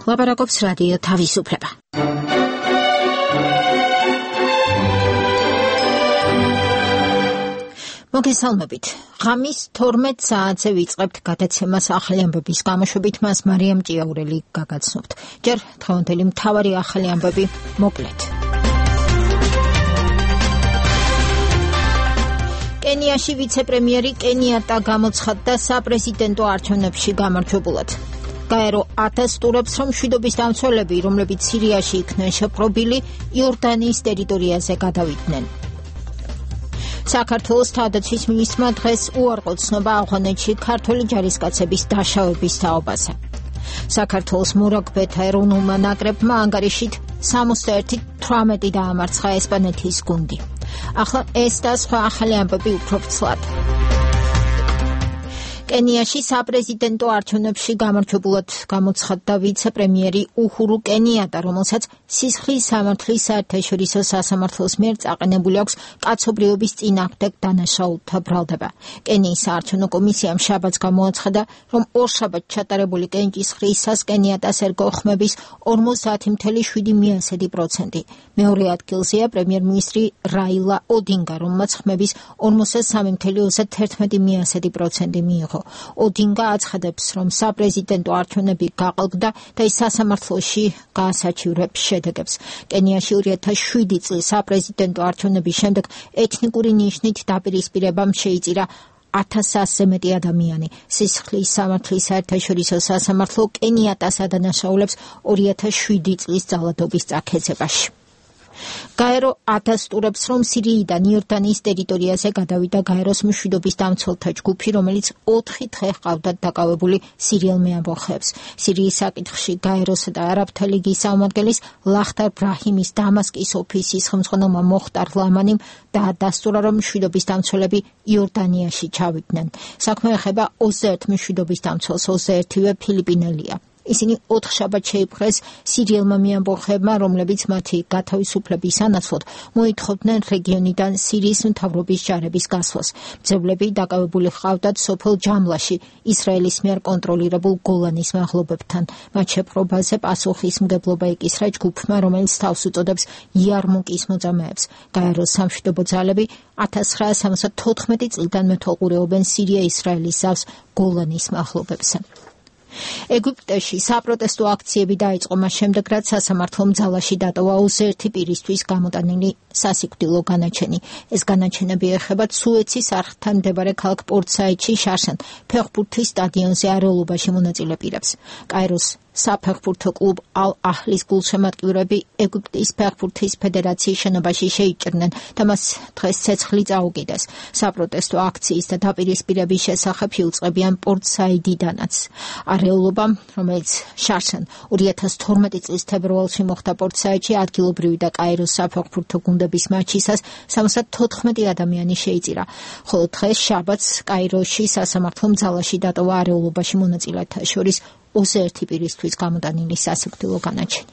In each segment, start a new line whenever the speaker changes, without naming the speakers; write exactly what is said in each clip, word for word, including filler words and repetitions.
ლაპარაკობს რადიო თავისუფლება. მოგესალმებით. ღამის თორმეტ საათზე ვიწყებთ გადაცემას ახალი ამბების გამოშვებით, მას მარიამ ჭიაურელი გაგაცნობთ. ჯერ დღევანდელი მთავარი ახალი ამბები მოკლედ. კენიაში ვიცე-პრემიერი კენიატა გამოცხადდა საპრეზიდენტო არჩევნებში გამარჯვებულად. გაერო ათას ტურებს, რომ მშვიდობის დამცველები, რომლებიც სირიაში იქნენ შეპყრობილი, იორდანიის ტერიტორიაზე გადავიდნენ. საქართველოს თავდაცვის მინისტრმა დღეს უარყო ცნობა ავღანეთში ქართველი ჯარისკაცების დაშავების თაობაზე. საქართველოს მორაგბეთა ეროვნულმა ნაკრებმა ანგარიშით სამოცდაერთი თვრამეტი დაამარცხა ესპანეთის გუნდი. ახლა ეს და სხვა ახალი ამბები უფრო ფრთლად. კენიაში საპრეზიდენტო არჩევნებში გამარჯვებულად გამოცხადდა ვიცე-პრემიერი უჰურუ კენიატა, რომელსაც სისხლის სამართლის საერთაშორისო სასამართლოს მიერ წაყენებული აქვს კაცობრიობის წინააღმდეგ დანაშაულთა ბრალდება. კენიის საარჩევნო კომისიამ შაბათს გამოაცხადა, რომ ორშაბათს ჩატარებული კენჭის ხრისას კენიატას ერგო ხმების ორმოცდაათი ფاصლე შვიდი პროცენტი. მეორე ადგილზეა პრემიერ-მინისტრი რაილა ოდინგა, რომელმაც ხმების ორმოცდასამი ფاصლე ოცდაერთმეტი პროცენტი მიიღო. ოდინგა აცხადებს, რომ საპრეზიდენტო არჩევნები გაყალბდა და ის სასამართლოში გაასაჩივრებს შედეგებს. კენიაში ორი ათას შვიდი წლის საპრეზიდენტო არჩევნების შემდეგ ეთნიკური ნიშნით დაპირისპირებამ შეიწირა ათას ასზე მეტი ადამიანი. სისხლის სამართლის საერთაშორისო სასამართლო კენიატას ადანაშაულებს ორი ათას შვიდი წლის ძალადობის წაქეზებაში. გაერო ათას ტურებს, რომ სირიიდან იორდანიის ტერიტორიაზე გადავიდა გაეროს მშვიდობის დამცველთა ჯგუფი, რომელიც ოთხი დღე ჰყავდათ დაკავებული სირიელ მეამბოხეებს. სირიის საკითხში გაეროსა და არაბთა ლიგის წარმომადგენლის ლახტარ ბრაჰიმის დამასკის ოფისის ხელმძღვანელმა მოხტარ ლამანიმ დაადასტურა, რომ მშვიდობის დამცველები იორდანიაში ჩავიდნენ. საქმე ეხება ოცდაერთ მშვიდობის დამცველს, ოცდაერთივე ფილიპინელია. ისინი ოთხშაბათს შეიპყრეს სირიელმა მეამბოხეებმა, რომლებიც მათი გათავისუფლების სანაცვლოდ მოითხოვდნენ რეგიონიდან სირიის მთავრობის ჯარების გასვლას. მძევლები დაკავებული ჰყავდათ სოფელ ჯამლაში, ისრაელის მიერ კონტროლირებულ გოლანის მაღლობებთან. მათ შეპყრობაზე პასუხისმგებლობა ეკისრა ჯგუფმა, რომელიც თავს უწოდებს იარმუკის მოწამეებს. გაეროს სამშვიდობო ძალები ათას ცხრაასა სამოცდათოთხმეტი წლიდან მეთვალყურეობენ სირია-ისრაელის ზავს გოლანის მაღლობებზე. ეგვიპტეში საპროტესტო აქციები დაიწყო მას შემდეგ, რაც სასამართლომ ძალაში დატოვა ოცდაერთი პირისთვის გამოტანილი სასიკვდილო განაჩენი. ეს განაჩენები ეხება სუეცის არხთან მდებარე ქალაქ პორტ-საიდში შარშან ფეხბურთის სტადიონზე არეულობაში მონაწილე პირებს. კაიროს საფეხბურთო კლუბ ალ-აჰლის გულშემატკივრები ეგვიპტის ფეხბურთის ფედერაციის შენობაში შეიჭრნენ და მას დღეს ცეცხლი წაუკიდეს. საპროტესტო აქციის და დაპირისპირების შესახებ იუწყებიან პორტ-საიდიდანაც. არეულობა, რომელიც შარშან ორი ათას თორმეტი წლის თებერვალში მოხდა პორტ-საიდში, ადგილობრივი და კაიროს საფეხბურთო გუნდების მატჩისას სამოცდათოთხმეტი ადამიანი შეიწირა. ხოლო დღეს შაბათს კაიროში სასამართლომ ძალაში დატოვა არეულობაში მონაწილეთა შორის ოცდაერთი პირისთვის გამოტანილი სასიკვდილო განაჩენი.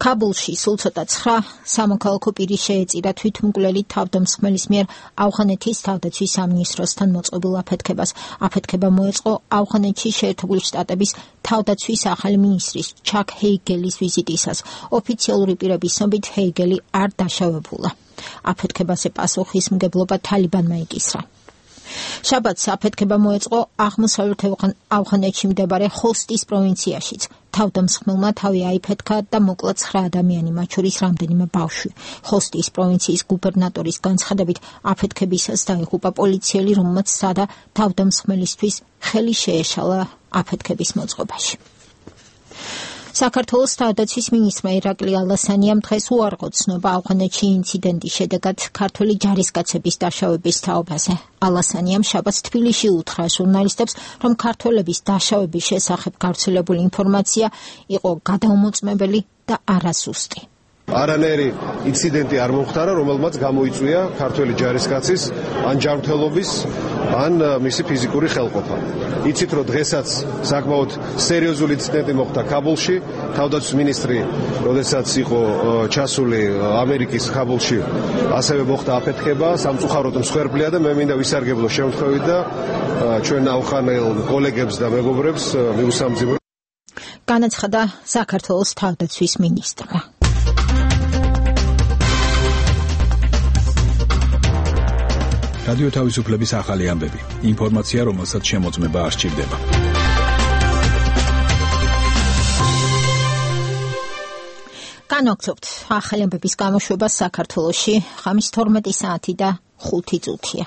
ქაბულში სულ ცოტა ცხრა სამოქალაქო პირი შეეწირა თვითმკვლელი თავდამსხმელის მიერ ავღანეთის თავდაცვის სამინისტროსთან მოწყობილ აფეთქებას. აფეთქება მოეწყო ავღანეთში შეერთებული შტატების თავდაცვის ახალი მინისტრის ჩაკ ჰეიგელის ვიზიტისას. ოფიციალური პირების ცნობით ჰეიგელი არ დაშავებულა. აფეთქებაზე პასუხისმგებლობა თალიბანმა იკისრა. შაბათს აფეთქება მოეწყო აღმოსავლეთ ავღანეთში მდებარე ხოსტის პროვინციაშიც. თავდამსხმელმა თავი აიფეთქა და მოკლა ცხრა ადამიანი, მათ შორის რამდენიმე ბავშვი. ხოსტის პროვინციის გუბერნატორის განცხადებით, აფეთქებისას დაიღუპა პოლიციელი, რომელმაც სადა თავდამსხმელისთვის ხელი შეეშალა აფეთქების მოწყობაში. საქართველოს თავდაცვის მინისტრმა ირაკლი ალასანიამ დღეს უარყო ცნობა ავღანეთში ინციდენტის შედეგად ქართველი ჯარისკაცების დაშავების თაობაზე. ალასანიამ შაბათს თბილისში უთხრა ჟურნალისტებს, რომ ქართველების დაშავების შესახებ გავრცელებული ინფორმაცია იყო გადაუმოწმებელი და არასუსტი.
არანაირი ინციდენტი არ მომხდარა, რომელმაც გამოიწვია ქართველი ჯარისკაცის ან ჯანმრთელობის ან მისი ფიზიკური ხელყოფა. იცით, რომ დღესაც საკმაოდ სერიოზული ინციდენტი მოხდა ქაბულში. თავდაცვის მინისტრი, როდესაც იყო ჩასული ამერიკის ქაბულში, ასევე მოხდა აფეთქება, სამწუხაროდ მსხვერპლია და მე მინდა ვისარგებლო შემთხვევით და ჩვენ აუხანელ კოლეგებს და მეგობრებს მიუსამძიმრო.
განაცხადა საქართველოს თავდაცვის მინისტრმა.
რადიო თავისუფლების ახალი ამბები. ინფორმაცია, რომელსაც შემოწმება არ სჭირდება.
განვაგრძობთ ახალი ამბების გამოშვება საქართველოში ხამის თორმეტი საათი და ხუთი წუთია.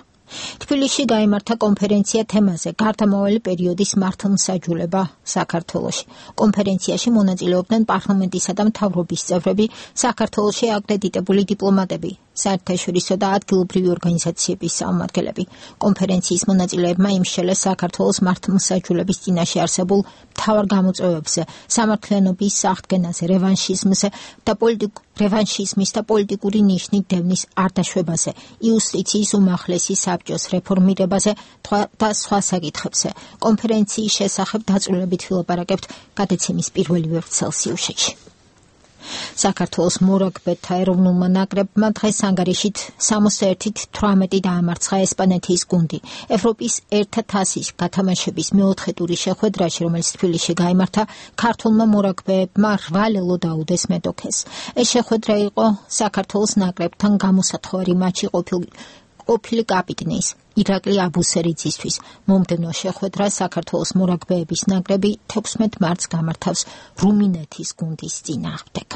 თბილისში გაიმართა კონფერენცია თემაზე გარდამავალი პერიოდის მართლმსაჯულება საქართველოში. კონფერენციაში მონაწილეობდნენ პარლამენტისა და მთავრობის წევრები, საქართველოში აკრედიტებული დიპლომატები, საერთაშორისო და ადგილობრივი ორგანიზაციების წარმომადგენლები. კონფერენციის მონაწილეებმა იმსჯელეს საქართველოს მართლმსაჯულების წინაშე არსებულ მთავარ გამოწვევებზე, სამართლიანობის აღდგენაზე, რევანშიზმზე და პოლიტიკ რევანშიზმის და პოლიტიკური ნიშნით დევნის არდაშვებაზე, იუსტიციის უმაღლესი საბჭოს რეფორმირებაზე და სხვა საკითხებზე. კონფერენციის შესახებ დაწვრილებით ვილაპარაკებთ გადაცემის პირველი ვერცხლის სიუჟეტში. საქართველოს მორაგბეთა ეროვნულმა ნაკრებმა დღეს ანგარიშით სამოცდაერთით თვრამეტი დაამარცხა ესპანეთის გუნდი. ევროპის ერთა თასის გათამაშების მეოთხე ტურის შეხვედრაში, რომელიც თბილისში გაიმართა, ქართულმა მორაგბეებმა რვა ლელო დაუდეს მეტოქეს. ეს შეხვედრა იყო საქართველოს ნაკრებთან გამოსათხოვარი მატჩი ყოფილი ყოფილი კაპიტნის ირაკლი აბუსერიძისთვის. მომდევნო შეხვედრა საქართველოს მორაგბეების ნაკრები თექვსმეტ მარტს გამართავს რუმინეთის გუნდის წინააღმდეგ.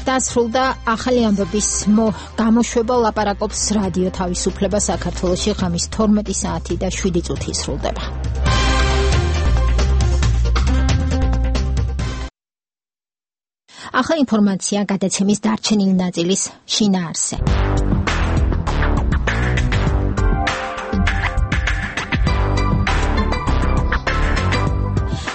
დასრულდა ახალი ამბების გამოშვება, ლაპარაკობს რადიო თავისუფლება საქართველოში ხამის თორმეტი საათი და შვიდი წუთი სრულდება. ახლა ინფორმაცია გადაცემის დარჩენილი ნაწილის შინაარსზე.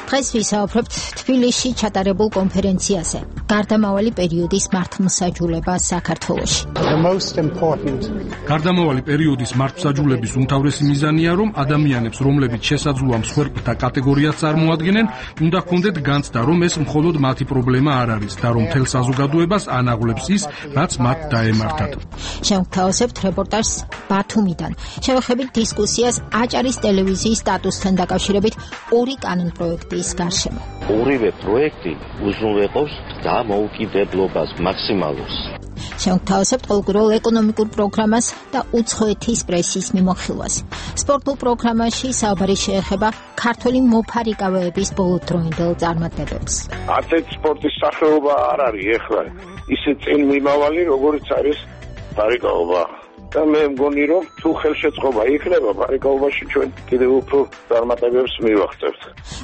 დღეს ვისაუბრებთ თბილისში ჩატარებულ კონფერენციაზე გარდამავალი პერიოდის მართლმსაჯულება საქართველოში.
გარდამავალი პერიოდის მართლმსაჯულების უმთავრესი მიზანია, რომ ადამიანებს, რომლებიც შესაძლოა მსხვერპლთა კატეგორიას წარმოადგენენ, უნდა ჰქონდეთ განცდა, რომ ეს მხოლოდ მათი პრობლემა არ არის და რომ მთელ საზოგადოებას ანაღლებს ის, რაც მათ დაემართათ.
შევთავაზებთ რეპორტაჟს ბათუმიდან. შევეხებით დისკუსიას აჭარის ტელევიზიის სტატუსთან დაკავშირებით ორი კანონპროექტის გარშემო.
ორივე პროექტი უზრუნველყოფს დამოუკიდებლობას მაქსიმალურს.
შევთავაზებთ ყოველკვირეულ ეკონომიკურ პროგრამას და უცხოეთის პრესის მიმოხილვას. სპორტულ პროგრამაში საუბარი შეეხება ქართული მოფარიკავეების ბოლოდროინდელ წარმატებებს.
არც ერთ სპორტის სახეობა არ არის ეხლა ისე წინ მიმავალი, როგორც არის ფარიკაობა. და მე მგონი, რომ თუ ხელშეწყობა იქნება, ფარიკაობაში ჩვენ კიდევ უფრო წარმატებებს მივაღწევთ.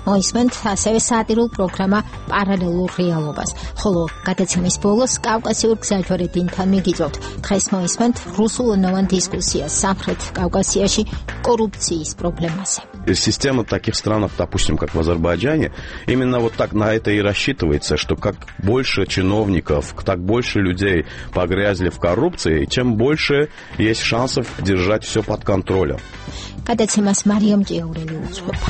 მოისმენთ ასევე სატირულ პროგრამა პარალელურ რეალობას. ხოლო გადაცემის ბოლოს კავკასიურ გზაჯვარედინთან მიგიწევთ. დღეს მოისმენთ რუსულენოვან дискуссиას სამხრეთ კავკასიაში коррупцიის проблемасе.
Система в таких странах, допустим, как в Азербайджане, именно вот так на это и рассчитывается, что как больше чиновников, так больше людей погрязли в коррупции, чем больше есть шансов держать все под контролем.
Გადაცემას მარიამ ჭიაურელი უძღვება.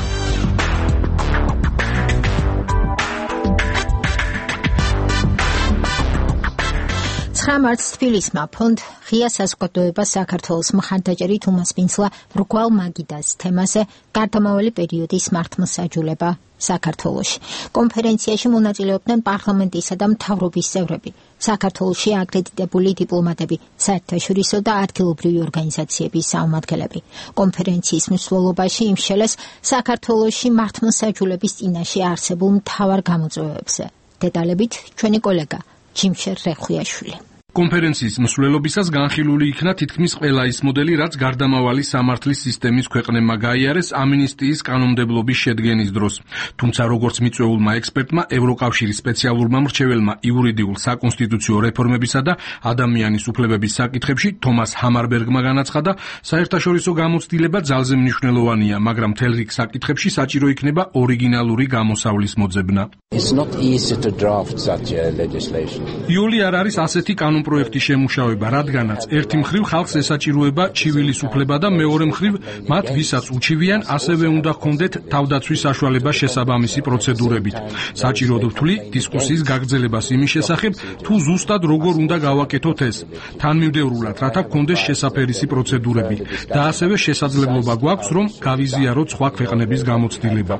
ცხრა მარტს თბილისმა ფონდ ღია საზოგადოება საქართველოს მხარდაჭერი თუმას პინცლა მრგვალ მაგიდას თემაზე გარდამავალი პერიოდის მართლმსაჯულება საქართველოში. კონფერენციაში მონაწილეობდნენ პარლამენტისა და მთავრობის წევრები, საქართველოში აკრედიტებული დიპლომატები, საერთაშორისო და ადგილობრივი ორგანიზაციების წარმომადგენლები. კონფერენციის მსვლელობაში იმსჯელეს საქართველოში მართლმსაჯულების წინაშე არსებულ მთავარ გამოწვევებზე. დეტალებით ჩვენი კოლეგა ჯიმშერ რეხვიაშვილი.
კონფერენციის მსვლელობისას განხილული იქნა თითქმის ყველა ის მოდელი, რაც გარდამავალი სამართლის სისტემის ქვეყნებმა გაიარეს ამინისტიის კანონმდებლობის შედგენის დროს. თუმცა როგორც მიწვეულმა ექსპერტმა, ევროკავშირის სპეციალურმა მრჩეველმა იურიდიულ საკონსტიტუციო რეფორმებისა და ადამიანის უფლებების საკითხებში თომას ჰამარბერგმა განაცხადა, საერთაშორისო გამოცდილება ძალზე მნიშვნელოვანია, მაგრამ მთელ რიგ საკითხებში საჭირო იქნება ორიგინალური გამოსავლის მოძებნა.
It's not easy to draft such a legislation.
იული არ არის ასეთი კანონ კანონპროექტის შემუშავება, რადგანაც ერთი მხრივ ხალხს ესაჭიროება ჩივილის უფლება და მეორე მხრივ მათ ვისაც უჩივიან, ასევე უნდა ჰქონდეთ თავდაცვის საშუალება შესაბამისი პროცედურებით. საჭიროდ ვთვლი დისკუსიის გაგრძელებას იმის შესახებ, თუ ზუსტად როგორ უნდა გავაკეთოთ ეს, თანმიმდევრულად, რათა ჰქონდეს შესაფერისი პროცედურები და ასევე შესაძლებლობა გვაქვს, რომ გავიზიაროთ სხვა ქვეყნების გამოცდილება.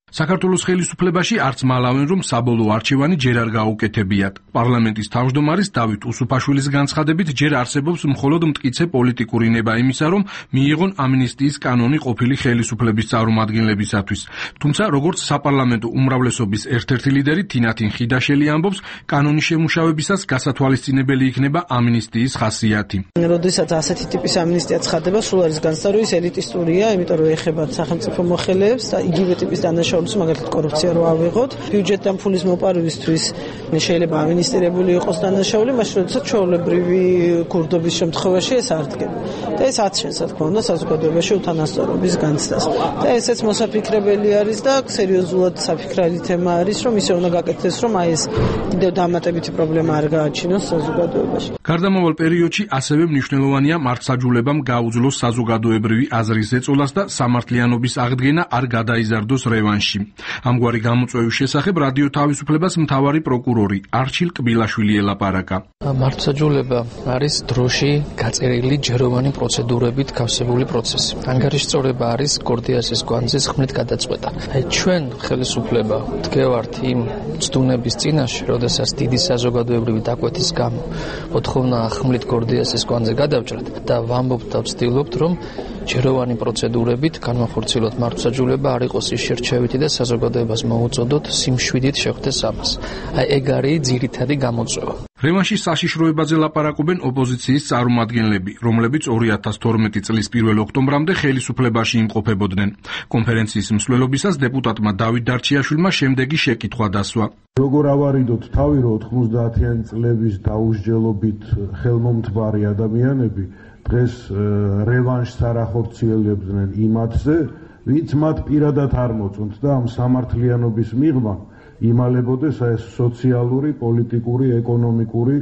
საქართველოს ხელისუფლებაში არც მალავენ, რომ საბოლოო არჩევანი ჯერ არ გაუკეთებიათ. პარლამენტის თავმჯდომარის დავით უსუფაშვილის განცხადებით, ჯერ არსებობს მხოლოდ მტკიცე პოლიტიკური ნება იმისა, რომ მიიღონ ამნისტიის კანონი ყოფილი ხელისუფლების წარმომადგენლებისათვის. თუმცა, როგორც საპარლამენტო უმრავლესობის ერთ-ერთი ლიდერი თინათინ ხიდაშელი ამბობს, კანონის შემუშავებისას გასათვალისწინებელი იქნება ამნისტიის ხასიათი.
როდესაც ასეთი ტიპის ამნისტია ცხადდება, სულ არის განსხვავებული, ის ელიტისტურია, იმიტომ რომ ეხება სახელმწიფო მოხელეებს და იგივე ტიპის დანაშაულებს მაგალითად კორუფცია რო ავიღოთ, ბიუჯეტთან ფულის მოპარვისთვის შეიძლება ამინისტრირებული იყოს დანაშაული, მაშინ როდესაც ჩვეულებრივი ქურდობის შემთხვევაში ეს არ დგება. და ეს აცნობს, რა თქმა უნდა, საზოგადოებაში უთანასწორობის განცდას. და ესეც მოსაფიქრებელი არის და სერიოზულად საფიქრალი თემა არის, რომ ისე უნდა გაკეთდეს, რომ აი ეს კიდევ დამატებითი პრობლემა არ გააჩინოს საზოგადოებაში.
გარდამავალ პერიოდში ასევე მნიშვნელოვანია მართლმსაჯულებამ გაუძლოს საზოგადოებრივი აზრის ზეწოლას და სამართლიანობის აღდგენა არ გადაიზარდოს რევანში. ამგვარი გამოწვევის შესახებ რადიო თავისუფლებას მთავარი პროკურორი არჩილ კბილაშვილი ელაპარაკა.
მართლმსაჯულება არის დროში გაწერილი ჯეროვანი პროცედურებით გავსებული პროცესი. ანგარიშწორება არის გორდიასის კვანძის ხმით გადაწყვეტა. აი ჩვენ ხელისუფლება დგევართ იმ ცდუნების წინაშე, როდესაც დიდი საზოგადოებრივი დაკვეთის გამო მოთხოვნა ხმით გორდიასის კვანძზე გადავჭრათ და ვამბობთ და ვცდილობთ, რომ ჯეროვანი პროცედურებით განვახორციელოთ მართლმსაჯულება, არ იყოს ის შერჩევითი და საზოგადოებას მოუწოდოთ სიმშვიდით შეხვდეს ამას. აი ეგ არის ძირითადი გამოწვევა.
რევანში საშიშროებაზე ლაპარაკობენ ოპოზიციის წარმომადგენლები, რომლებიც ორი ათას თორმეტი წლის პირველ ოქტომბრამდე ხელისუფლებაში იმყოფებოდნენ. კონფერენციის მსვლელობისას დეპუტატმა დავით დარჩიაშვილმა შემდეგი შეკითხვა დასვა.
როგორ ავარიდოთ თავი, რომ ოთხმოცდაათიანი წლების დაუსჯელობით ხელმომთბარი ადამიანები დღეს რევანშს არ ახორციელებდნენ იმათზე, ვინც მათ პირადად არ მოწონთ და ამ სამართლიანობის მიღმა იმალებოდეს ეს სოციალური, პოლიტიკური, ეკონომიკური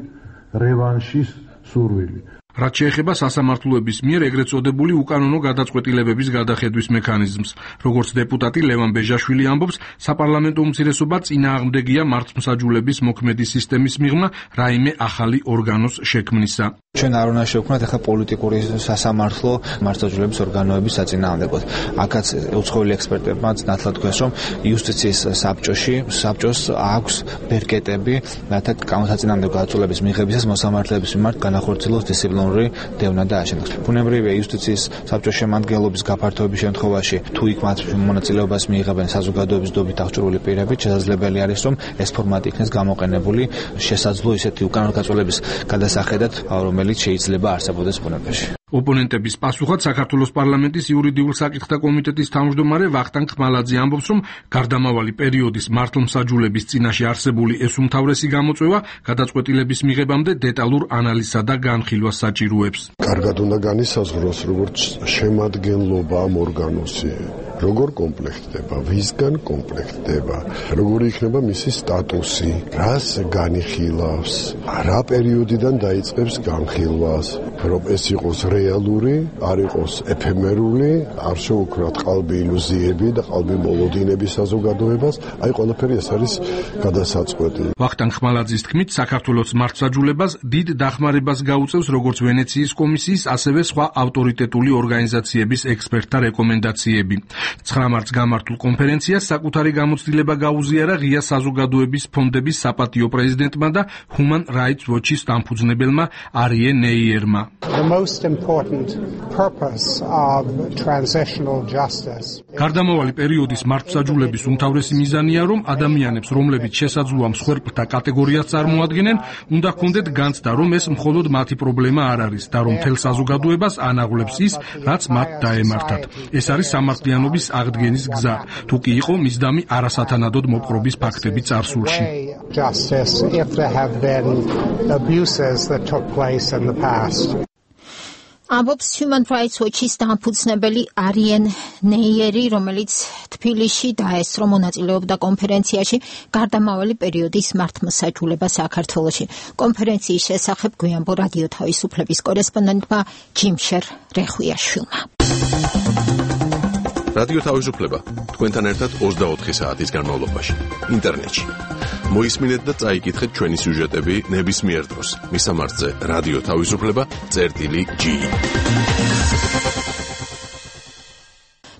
რევანშის სურვილი.
რაც შეეხება სასამართლოების მიერ ეგრეთ წოდებული უკანონო გადაწყვეტილებების გადახედვის მექანიზმს. როგორც დეპუტატი ლევან ბეჟაშვილი ამბობს, საპარლამენტო უმცირესობა წინააღმდეგია მართლმსაჯულების მოქმედი სისტემის მიღმა რაიმე ახალი ორგანოს შექმნისა.
ჩვენ არ უნდა შევქმნათ ახლა პოლიტიკური სასამართლო მართლმსაჯულების ორგანოების საწინააღმდეგოდ. აქაც უცხოელი ექსპერტებმა ნათლად თქვეს, რომ იუსტიციის საბჭოში საბჭოს აქვს ბერკეტები, რათა გამოსაწინააღმდეგო გადაწყვეტილების მიღებისას მოსამართლეების მიმართ განახორციელოს დისციპლინური დევნა და აშენოს. ბუნებრივია იუსტიციის საბჭოს შემადგენლობის გაფართოების შემთხვევაში, თუ იქ მათ მონაწილეობას მიიღებენ საზოგადოების დობით აღჭურვილი პირები, შესაძლებელი არის, რომ ეს ფორმატი იქნეს გამოყენებული შესაძლო ისეთი უკანონო გადაწყვეტილების გადასახედად, რომელიც შეიძლება არსებობდეს ბუნებაში.
ოპონენტების პასუხად საქართველოს პარლამენტის იურიდიულ საკითხთა კომიტეტის თავმჯდომარე ვახტანგ ხმალაძე ამბობს, რომ გარდამავალი პერიოდის მართლმსაჯულების წინაშე არსებული ეს უმთავრესი გამოწვევა გადაწყვეტილების მიღებამდე დეტალურ ანალიზსა და განხილვას საჭიროებს.
კარგად უნდა განისაზღვროს, როგორც შემადგენლობა ამ ორგანოსი, როგორ კომპლექტდება, ვისგან კომპლექტდება, როგორი იქნება მისი სტატუსი, რას განიხილავს, რა პერიოდიდან დაიწყებს განხილვას, რომ ეს იყოს რეალური, არ იყოს ეფემერული, არ შეუქმნათ ყალბი ილუზიები და ყალბი მოლოდინების საზოგადოებას, აი ყველაფერი ეს არის გადასაწყვეტი.
ვახტანგ ხმალაძის თქმით, საქართველოს მართლმსაჯულებას დიდ დახმარებას გაუწევს როგორც ვენეციის კომისიის, ასევე სხვა ავტორიტეტული ორგანიზაციების ექსპერტთა რეკომენდაციები. ცხრა მარტს გამართულ კონფერენციას საკუთარი გამოცდილება გაუზიარა ღია საზოგადოების ფონდების საპატიო პრეზიდენტმა და Human Rights Watch-ის დამფუძნებელმა არიე ნეიერმა. გარდამავალი პერიოდის მართლმსაჯულების უმთავრესი მიზანია, რომ ადამიანებს, რომლებიც შესაძლოა მსხვერპლთა კატეგორიას წარმოადგენენ, უნდა ჰქონდეთ განცდა, რომ ეს მხოლოდ მათი პრობლემა არ არის და რომ მთელ საზოგადოებას ანაღლებს ის, რაც მათ დაემართათ. ეს არის სამართლიანობის აღდგენის გზა, თუ კი იყო მისდამი არასათანადოდ მოპყრობის ფაქტები წარსულში.
ამბობს Human Rights Watch-ის დამფუძნებელი არიენ ნეიერი, რომელიც თბილისში დაესწრო მონაწილეობდა კონფერენციაში გარდამავალი პერიოდის მართლმსაჯულება საქართველოში. კონფერენციის შესახებ გვიანბო რადიო თავისუფლების კორესპონდენტმა ჯიმშერ რეხვიაშვილმა.
რადიო თავისუფლება თქვენთან ერთად ოცდაოთხი საათის განმავლობაში ინტერნეტში. მოისმინეთ და წაიკითხეთ ჩვენი სიუჟეტები ნებისმიერ დროს. მისამართზე რადიო თავისუფლება წერტილი ჯი.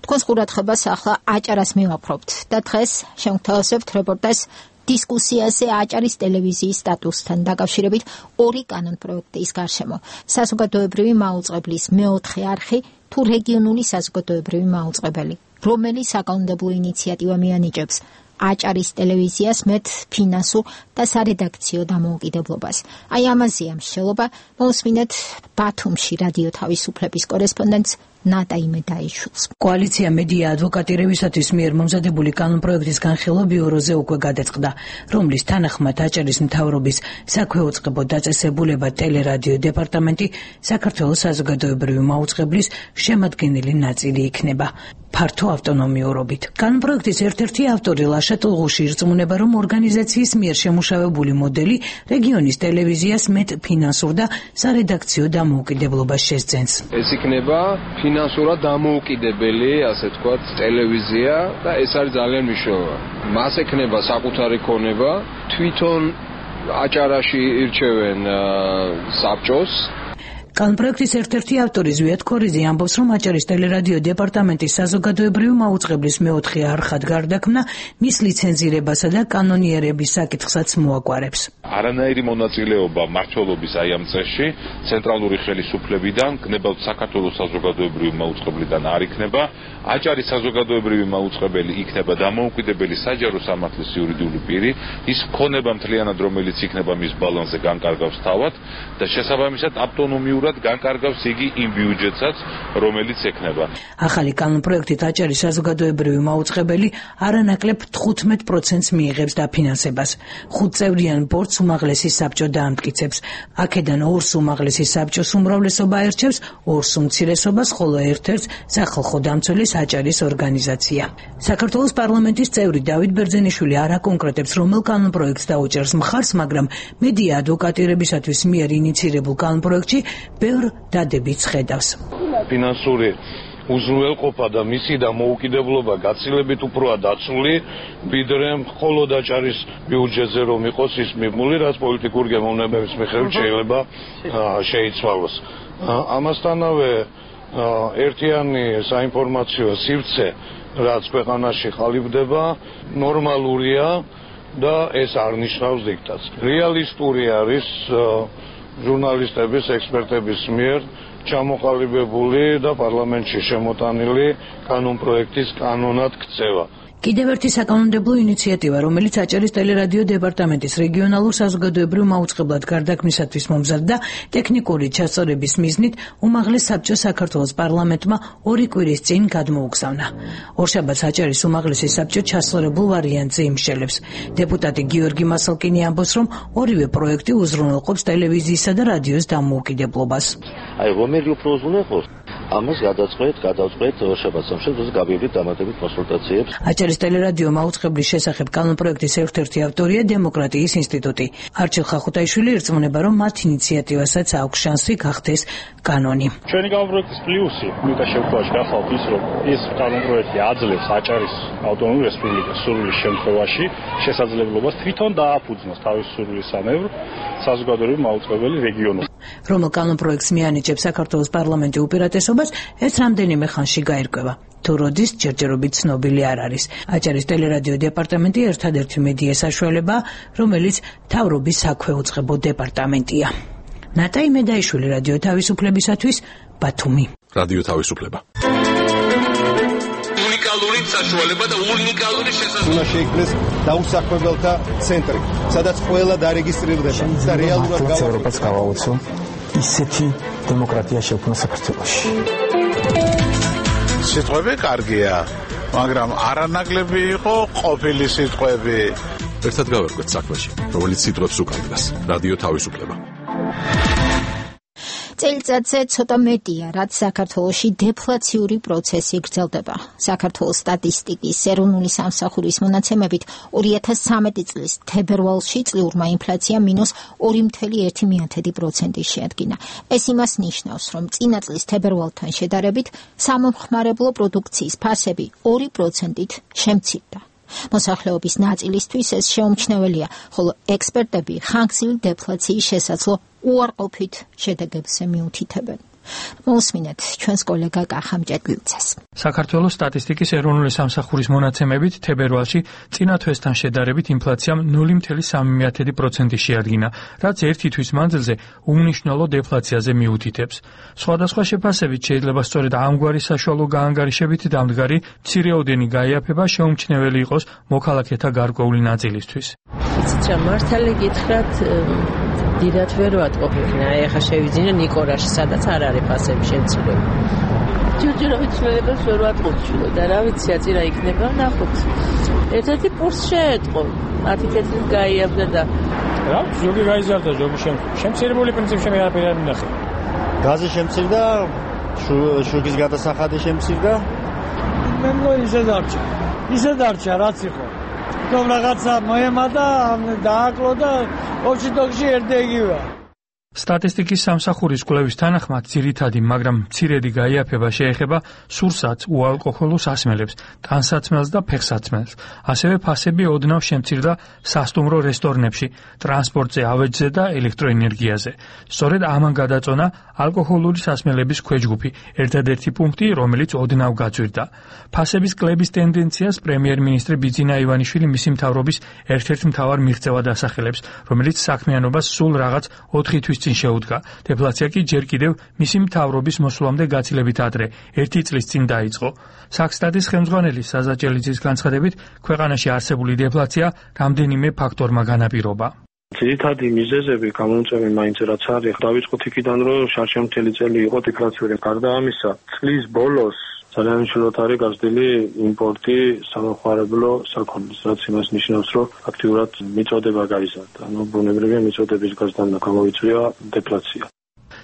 თქვენს ყურადღებას ახლა აჭარას მივაპყრობთ და დღეს შევთავაზებთ რეპორტაჟს დისკუსიაზე აჭარის ტელევიზიის სტატუსთან დაკავშირებით ორი კანონპროექტის გარშემო. საზოგადოებრივი მაუწყებლის მეოთხე არხი თუ რეგიონული საზოგადოებრივი მაუწყებელი, რომელიც საკანონმდებლო ინიციატივა მიანიჭებს აჭარის ტელევიზიას მეტ ფინანსურ და სარედაქციო დამოუკიდებლობას. აი ამაზეა მსჯელობა, მოусმინეთ ბათუმში რადიო თავისუფლების კორესპონდენტს ნატა იმედაიშვილს.
კოალიცია მედია ადვოკატირებისათვის მიერ მომზადებული კანონპროექტის განხილვა ბიუროზე უკვე გადაწყდა, რომლის თანახმად აჭარის მთავრობის საქვეუწყებო დაწესებულება ტელერადიო დეპარტამენტი საქართველოს საზოგადოებრივი მაუწყებლის შემადგენელი ნაწილი იქნება. ფართო ავტონომიურობით. კანონპროექტის ერთ-ერთი ავტორი ლაშა ტულღუში ირწმუნება, რომ ორგანიზაციის მიერ შემუშავებული მოდელი რეგიონის ტელევიზიას მეტ ფინანსურ და სარედაქციო დამოუკიდებლობას შესძენს.
ეს იქნება ფინანსურად დამოუკიდებელი, ასე ვთქვათ, ტელევიზია და ეს არის ძალიან მნიშვნელოვანი. მას ექნება საკუთარი ქონება, თვითონ აჭარაში ირჩევენ საბჭოს.
კანონპროექტის ერთ-ერთი ავტორი ზვიად ქორიძე ამბობს, რომ აჭარის ტელერადიო დეპარტამენტის საზოგადოებრივი მაუწყებლის მეოთხე არხად გარდაქმნა მის ლიცენზირებასა და კანონიერების საკითხსაც მოაგვარებს.
არანაირი მონაწილეობა მმართველობის აი ამ წესში ცენტრალური ხელისუფლებიდან, გნებავთ საქართველოს საზოგადოებრივი მაუწყებლიდან არ იქნება. აჭარის საზოგადოებრივი მაუწყებელი იქნება დამოუკიდებელი საჯარო სამართლის იურიდიული პირი, ის ქონება მთლიანად, რომელიც იქნება მის ბალანსზე განკარგავს თავად და შესაბამისად ავტონომიურად განკარგავს იგი იმ ბიუჯეტსაც, რომელიც ექნება.
ახალი კანონპროექტით აჭარის საზოგადოებრივი მაუწყებელი არანაკლებ თხუთმეტ პროცენტს მიიღებს დაფინანსებას. ხუთწევრიან ბორცვს უმაღლესი საბჭო დაამტკიცებს. აქედან ორს უმაღლესი საბჭოს უმრავლესობა აირჩევს, ორს უმცირესობას, ხოლო ერთ-ერთს სახალხო დამცველის აჭარის ორგანიზაცია. საქართველოს პარლამენტის წევრი დავით ბერძენიშვილი არ აკონკრეტებს, რომელ კანონპროექტს დაუჭერს მხარს, მაგრამ მედია ადვოკატირებისათვის მიერ ინიცირებულ კანონპროექტში ბევრ დადებითს ხედავს.
ფინანსური უზრუნველყოფა და მისი დამოუკიდებლობა გაცილებით უფროა დაცული, ვიდრე მხოლოდ აჭარის ბიუჯეტზე რომ იყოს ის მიღმული, რაც პოლიტიკურ გემოვნებების მიხედვით შეიძლება შეიცვალოს. ამასთანავე ერთიანი საინფორმაციო სივრცე, რაც ქვეყანაში ყალიბდება, ნორმალურია და ეს არ ნიშნავს დიქტატს. რეალისტური არის ჟურნალისტების, ექსპერტების მიერ ჩამოყალიბებული და პარლამენტში შემოტანილი კანონპროექტის კანონად ქცევა.
კიდევ ერთი საკანონმდებლო ინიციატივა, რომელიც აჭარის ტელერადიო დეპარტამენტის რეგიონალურ საზოგადოებრივ მაუწყებლად გარდაქმნისათვის მომზადდა, ტექნიკური ჩასწორების მიზნით უმაღლეს საბჭოს საქართველოს პარლამენტმა ორი კვირის წინ გადმოუგზავნა. ორშაბათს აჭარის უმაღლესი საბჭო ჩასწორებულ ვარიანტზე იმშელებს. დეპუტატი გიორგი მასალკინი ამბობს, რომ ორივე პროექტი უზრუნველყოფს ტელევიზიისა და რადიოს დამოუკიდებლობას.
აი, რომელი უფრო უზრუნველყოფს? ამას გადაწყვეტ, გადაწყვეტ ორშაბათს სამშაბათს გავივლით დამატებით კონსულტაციებს.
აჭარის ტელერადიო მაუწყებლის შესახებ კანონპროექტის ერთ-ერთი ავტორია დემოკრატიის ინსტიტუტი. არჩილ ხახუტაიშვილი ირწმუნება, რომ მათ ინიციატივასაც აქვს შანსი გახდეს კანონი.
ჩვენი კანონპროექტის პლუსი, მიტა შემთხვევაში გახსოვთ ის, რომ ეს კანონპროექტი აძლევს აჭარის ავტონომიურ რესპუბლიკას სურვილის შემთხვევაში შესაძლებლობას თვითონ დააფუძნოს თავის სურვილის სამევრ საზოგადოებრივი მაუწყებელი რეგიონულ.
რომელ კანონპროექტს მიანიჭებს საქართველოს პარლამენტი უპირატესობას, ეს რამდენიმე ხანში გაირკვევა. თუ როდის ჯერჯერობით ცნობილი არ არის. აჭარის ტელერადიო დეპარტამენტი ერთადერთი მედია საშუალებაა, რომელიც მთავრობის საქვეუწყებო დეპარტამენტია. ნატა იმედაიშვილი რადიო თავისუფლებისათვის, ბათუმი.
რადიო თავისუფლება.
უნიკალური საშუალება და უნიკალური შესაძლებლობა.
უნდა შეიქმნეს დაუსაქმებელთა ცენტრი, სადაც ყველა დარეგისტრირდება და რეალურად
გავაუწყოთ გავაუწყო ისეთი დემოკრატია შექმნა საქართველოში.
სიტყვები კარგია, მაგრამ არანაკლები იყო ყოფილი სიტყვები.
ერთად გავერკვეთ საქმეში, რომელიც სიტყვებს უკავშირდება. რადიო თავისუფლება.
წელიწადზე ცოტა მეტია, რაც საქართველოში დეფლაციური პროცესი გრძელდება. საქართველოს სტატისტიკის ეროვნული სამსახურის მონაცემებით ორი ათას ცხრამეტი წლის თებერვალში წლიურმა ინფლაცია მინუს ორი კoma ერთი პროცენტი შეადგინა. ეს იმას ნიშნავს, რომ წინა წლის თებერვალთან შედარებით სამომხმარებლო პროდუქციის ფასები ორი პროცენტით შემცირდა. მოსახლეობის ნაწილისთვის ეს შეუმჩნეველია, ხოლო ექსპერტები ხანგრძლივი დეფლაციის შესაძლო უარყოფით შედეგებზე მიუთითებენ. მოусმინეთ ჩვენს კოლეგა კახამ ჭედლიძეს.
საქართველოს სტატისტიკის ეროვნული სამსახურის მონაცემებით თებერვალში წინა თვესთან შედარებით ინფლაციამ ნული კoma სამი პროცენტი შეადგინა, რაც ერთი თვის მანძილზე უმნიშვნელო დეფლაციაზე მიუთითებს. სხვადასხვა შეფასებით შეიძლება სწორედ ამგვარი საშუალო გაანგარიშებით დამდგარი მცირეოდენი გაიაფება შეუმჩნეველი იყოს მოქალაქეთა გარკვეული ნაწილისთვის.
იცით რა, მართალი გითხრათ, დიდად ვერ ვატყობინა, ეხა შევიძინე ნიკორაში, სადაც არ არის ფასები შემცირება. ჯერჯერობით ცვლილებას ვერ ვატყობ და რა ვიცი, აწი რა იქნება, ნახოთ. ერთ-ერთი პურს შეეტყო, ათი წელიწად გაიაფდა და
რა, ზოგი გაიზარდა, ზოგი შემცირებული პრინციპში მე არაფერი არ მინახე.
გაზი შემცირდა, შუქის გადასახადი შემცირდა.
მე მგონი ისე დარჩა. ისე დარჩა, რაც იყო. რომ რაღაცა მოემატა, დააკლო და ოჩიტოქში ერთეგივაა.
სტატისტიკის სამსახურის კვლევის თანახმად ძირითადი, მაგრამ მცირედი გაიაფება შეეხება სურსათ, უალკოჰოლო სასმელებს, ტანსაცმელს და ფეხსაცმელს. ასევე ფასები ოდნავ შემცირდა სასტუმრო რესტორნებში, ტრანსპორტზე, ავეჯზე და ელექტროენერგიაზე. სწორედ ამან გადაწონა ალკოჰოლური სასმელების ქვეჯგუფი, ერთადერთი პუნქტი, რომელიც ოდნავ გაწვირდა. ფასების კლების ტენდენციას პრემიერ-მინისტრი ბიძინა ივანიშვილი მისი მთავრობის ერთ-ერთ მთავარ მიღწევად ასახელებს, რომელიც საქმიანობას სულ რაღაც ოთხი თვის წინ შეუდგა. დეფლაცია კი ჯერ კიდევ მისი მთავრობის მოსვლამდე გაცილებით ადრე, ერთი წლის წინ დაიწყო. საქსტატის ხელმძღვანელი საზა ჭელიძის განცხადებით, ქვეყანაში არსებული დეფლაცია რამდენიმე ფაქტორმა განაპირობა.
ძირითადი მიზეზები გამომწვევი მაინც რაც არის, დავიწყოთ იქიდან, რომ შარშემთელი წელი იყო დეფლაციური. გარდა ამისა, წლის ბოლოს ძალიან მნიშვნელოვნად არის გაზრდილი იმპორტი სამომხმარებლო საქონლის, რაც იმას ნიშნავს, რომ აქტიურად მიწოდება გაიზარდა. ანუ ბუნებრივია მიწოდების გაზრდამ გამოვიწვია დეფლაცია.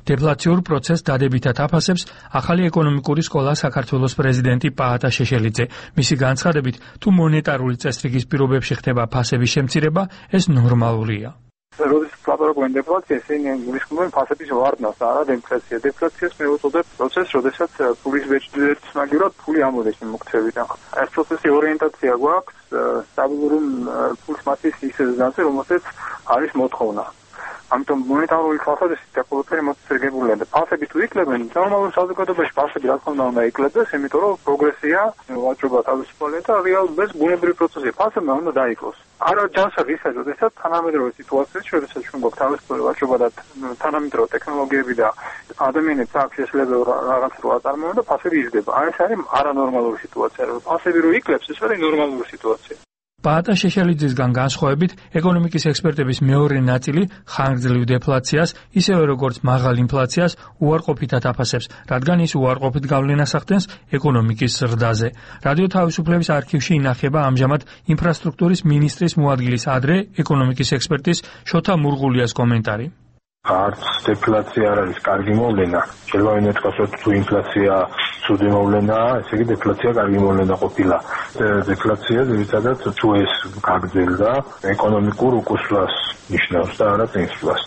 დეფლაციურ პროცესს დადებითად აფასებს ახალი ეკონომიკური სკოლა საქართველოს პრეზიდენტი პაატა შეშელიძე. მისი განცხადებით, თუ მონეტარული წესრიგის პირობებში ხდება ფასების შემცირება, ეს ნორმალურია.
როდესაც ვაპარაკობენ დეფლაციას, ისინი გულისხმობენ ფასების ვარდნას, არა დეფლაციას. დეფლაციას მე ვუწოდებ პროცესს, როდესაც ფულის ერთმაგივრად ფული ამოდის მოქცევიდან. ეს პროცესი ორიენტაცია გვაქვს სტაბილური ფულის მასის ის ზანზე, რომელსაც არის მოთხოვნა. ამიტომ მონეტარული თვალსაზრისით და ყველაფერი მოწესრიგებულია და ფასები თუ იქლებენ, ნორმალურ საზოგადოებაში ფასები რა თქმა უნდა იქლებდეს, იმიტომ რომ პროგრესია, ვაჭრობა თავისუფალია და რეალურად ბუნებრივი პროცესია. ფასებმა უნდა დაიკლოს. არა ჯანსაღ ისა, როდესაც თანამედროვე სიტუაციაში, როდესაც ჩვენ გვაქვს თავისუფალი ვაჭრობა და თანამედროვე ტექნოლოგიები და ადამიანებს აქვს შესაძლებლობა რაღაც რო აწარმოონ და ფასები იზრდება. აი ეს არის არანორმალური სიტუაცია. ფასები რო იკლებს, ეს არის ნორმალური სიტუაცია.
პაატა შეშელიძისგან განსხვავებით, ეკონომიკის ექსპერტების მეორე ნაწილი ხანგრძლივ დეფლაციას, ისევე როგორც მაღალ ინფლაციას უარყოფითად აფასებს, რადგან ის უარყოფით გავლენას ახდენს ეკონომიკის ზრდაზე. რადიო თავისუფლების არქივში ინახება ამჟამად ინფრასტრუქტურის მინისტრის მოადგილის ადრე ეკონომიკის ექსპერტის შოთა მურღულიას კომენტარი.
არც დეფლაცია არ არის კარგი მოვლენა. შეიძლება ვინმე თქვას, თუ ინფლაცია ცუდი მოვლენაა, ესე იგი დეფლაცია კარგი მოვლენა ყოფილა. დეფლაცია ძირითადად თუ ეს გაგრძელდა, ეკონომიკურ უკუსვლას ნიშნავს და არა წინსვლას.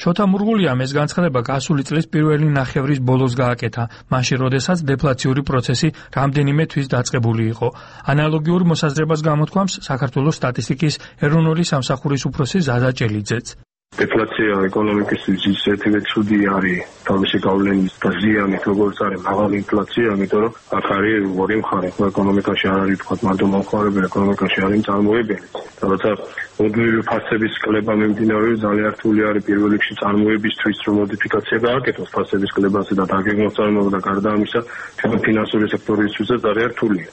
შოთა მურღულიამ ეს განცხადება გასული წლის პირველი ნახევრის ბოლოს გააკეთა, მაშინ როდესაც დეფლაციური პროცესი რამდენიმე თვის დაწყებული იყო. ანალოგიურ მოსაზრებას გამოთქვამს საქართველოს სტატისტიკის ეროვნული სამსახურის უფროსი ზაზა ჭელიძეც.
დეფლაცია ეკონომიკისთვის ერთივე ცუდი არის თავისი გავლენის და ზიანით, როგორც არის მაღალი ინფლაცია, იმიტომ რომ აქ არის ორი მხარე, ეკონომიკაში არ არის თქვა მარტო მომხმარებელი, ეკონომიკაში არის წარმოებელი. როცა მუდმივი ფასების კლება მიმდინარეობს, ძალიან რთული არის პირველ რიგში წარმოებისთვის, რომ მოდიფიკაცია გააკეთოს ფასების კლებაზე და დაგეგმოს და გარდა ამისა, ჩვენ ფინანსური სექტორისთვის ძალიან რთულია.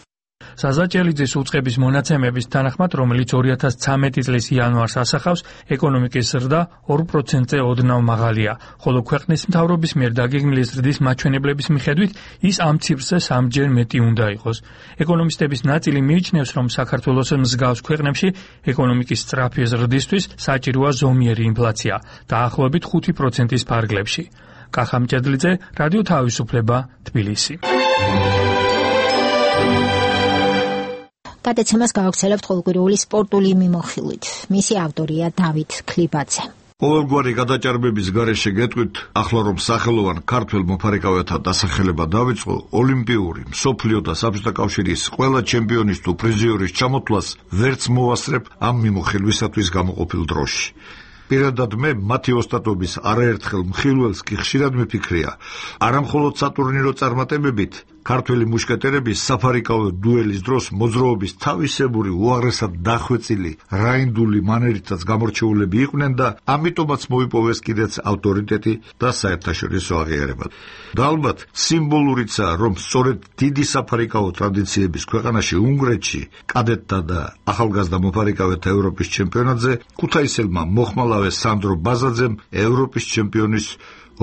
საზა ჭელიძის უწყების მონაცემების თანახმად, რომელიც ორი ათას ცხრამეტი წლის იანვარს ასახავს, ეკონომიკის ზრდა ორ პროცენტზე ოდნავ მაღალია, ხოლო ქვეყნის მთავრობის მიერ დაგეგმილი ზრდის მაჩვენებლების მიხედვით ის ამ ციფრზე სამჯერ მეტი უნდა იყოს. ეკონომისტების ნაწილი მიიჩნევს, რომ საქართველოს მსგავს ქვეყნებში ეკონომიკის სწრაფი ზრდისთვის საჭიროა ზომიერი ინფლაცია, დაახლოებით ხუთი პროცენტის ფარგლებში.
კახამჭედლიძე, რადიო თავისუფლება, თბილისი.
გადაცემას გავაგრძელებთ ყოველკვირეული სპორტული მიმოხილვით. მისი ავტორია დავით ქლიბაძე.
ყოველგვარი გადაჭარბების გარეშე გეტყვით, ახლა რომ სახელოვან ქართველ მოფარიკავეთა დასახელება დაიწყო, ოლიმპიური, მსოფლიო და საბჭოთა კავშირის ყველა ჩემპიონის თუ პრიზიორის ჩამოთვლას ვერც მოვასწრებ ამ მიმოხილვისათვის გამოყოფილ დროში. პირადად მე მათი ოსტატობის არაერთხელ მხილველს კი ხშირად მიფიქრია, არამხოლოდ სატურნირო წარმატებებით, ქართველი მუშკეტერების საფარიკავო დუელის დროს მოძრაობის თავისებური უაღრესად დახვეწილი რაინდული მანერითაც გამორჩეულები იყვნენ და ამიტომაც მოიპოვეს კიდეც ავტორიტეტი და საერთაშორისო აღიარება. და ალბათ სიმბოლურიცაა, რომ სწორედ დიდი საფარიკავო ტრადიციების ქვეყანაში უნგრეთში კადეტთა და ახალგაზრდა მოფარიკავეთა ევროპის ჩემპიონატზე ქუთაისელმა მოხმალავე სანდრო ბაზაძემ ევროპის ჩემპიონის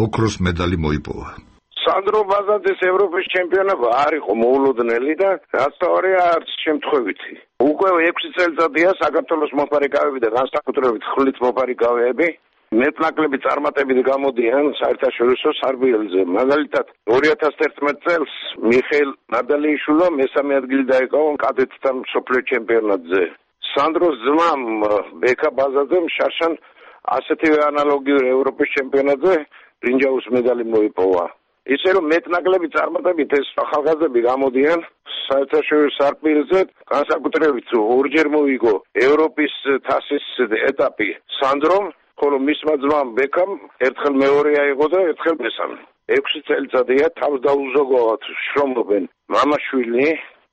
ოქროს медали მოიპოვა.
სანდრო ბაზაძეს ევროპის ჩემპიონობა არ იყო მოულოდნელი და რაც თავარია არც შემთხვევითი. უკვე ექვსი წელიწადია საქართველოს მოფარიკავეები და განსაკუთრებით ხვლით მოფარიკავეები მეტნაკლები წარმატებით გამოდიან საერთაშორისო სარბიელზე. მაგალითად, ორი ათას ერთმეტ წელს მიხეილ ნადალიიშვილმა მესამე ადგილი დაიკავა კადეტთა მსოფლიო ჩემპიონატზე. სანდროს ძმამ ბექა ბაზაძემ შარშან ასეთივე ანალოგიური ევროპის ჩემპიონატზე ბრინჯაოს медали მოიპოვა. ისე რომ მეტნაკლები წარმატებით ეს ახალგაზრდები გამოდიან საერთაშორისო სარბიელზე, განსაკუთრებით ორჯერ მოიგო ევროპის თასის ეტაპი სანდრომ, ხოლო მისმა ძმამ ბეკამ ერთხელ მეორე აიღო და ერთხელ მესამე. ექვსი წელიწადია თავს დაუზოგავად შრომობენ მამაშვილი,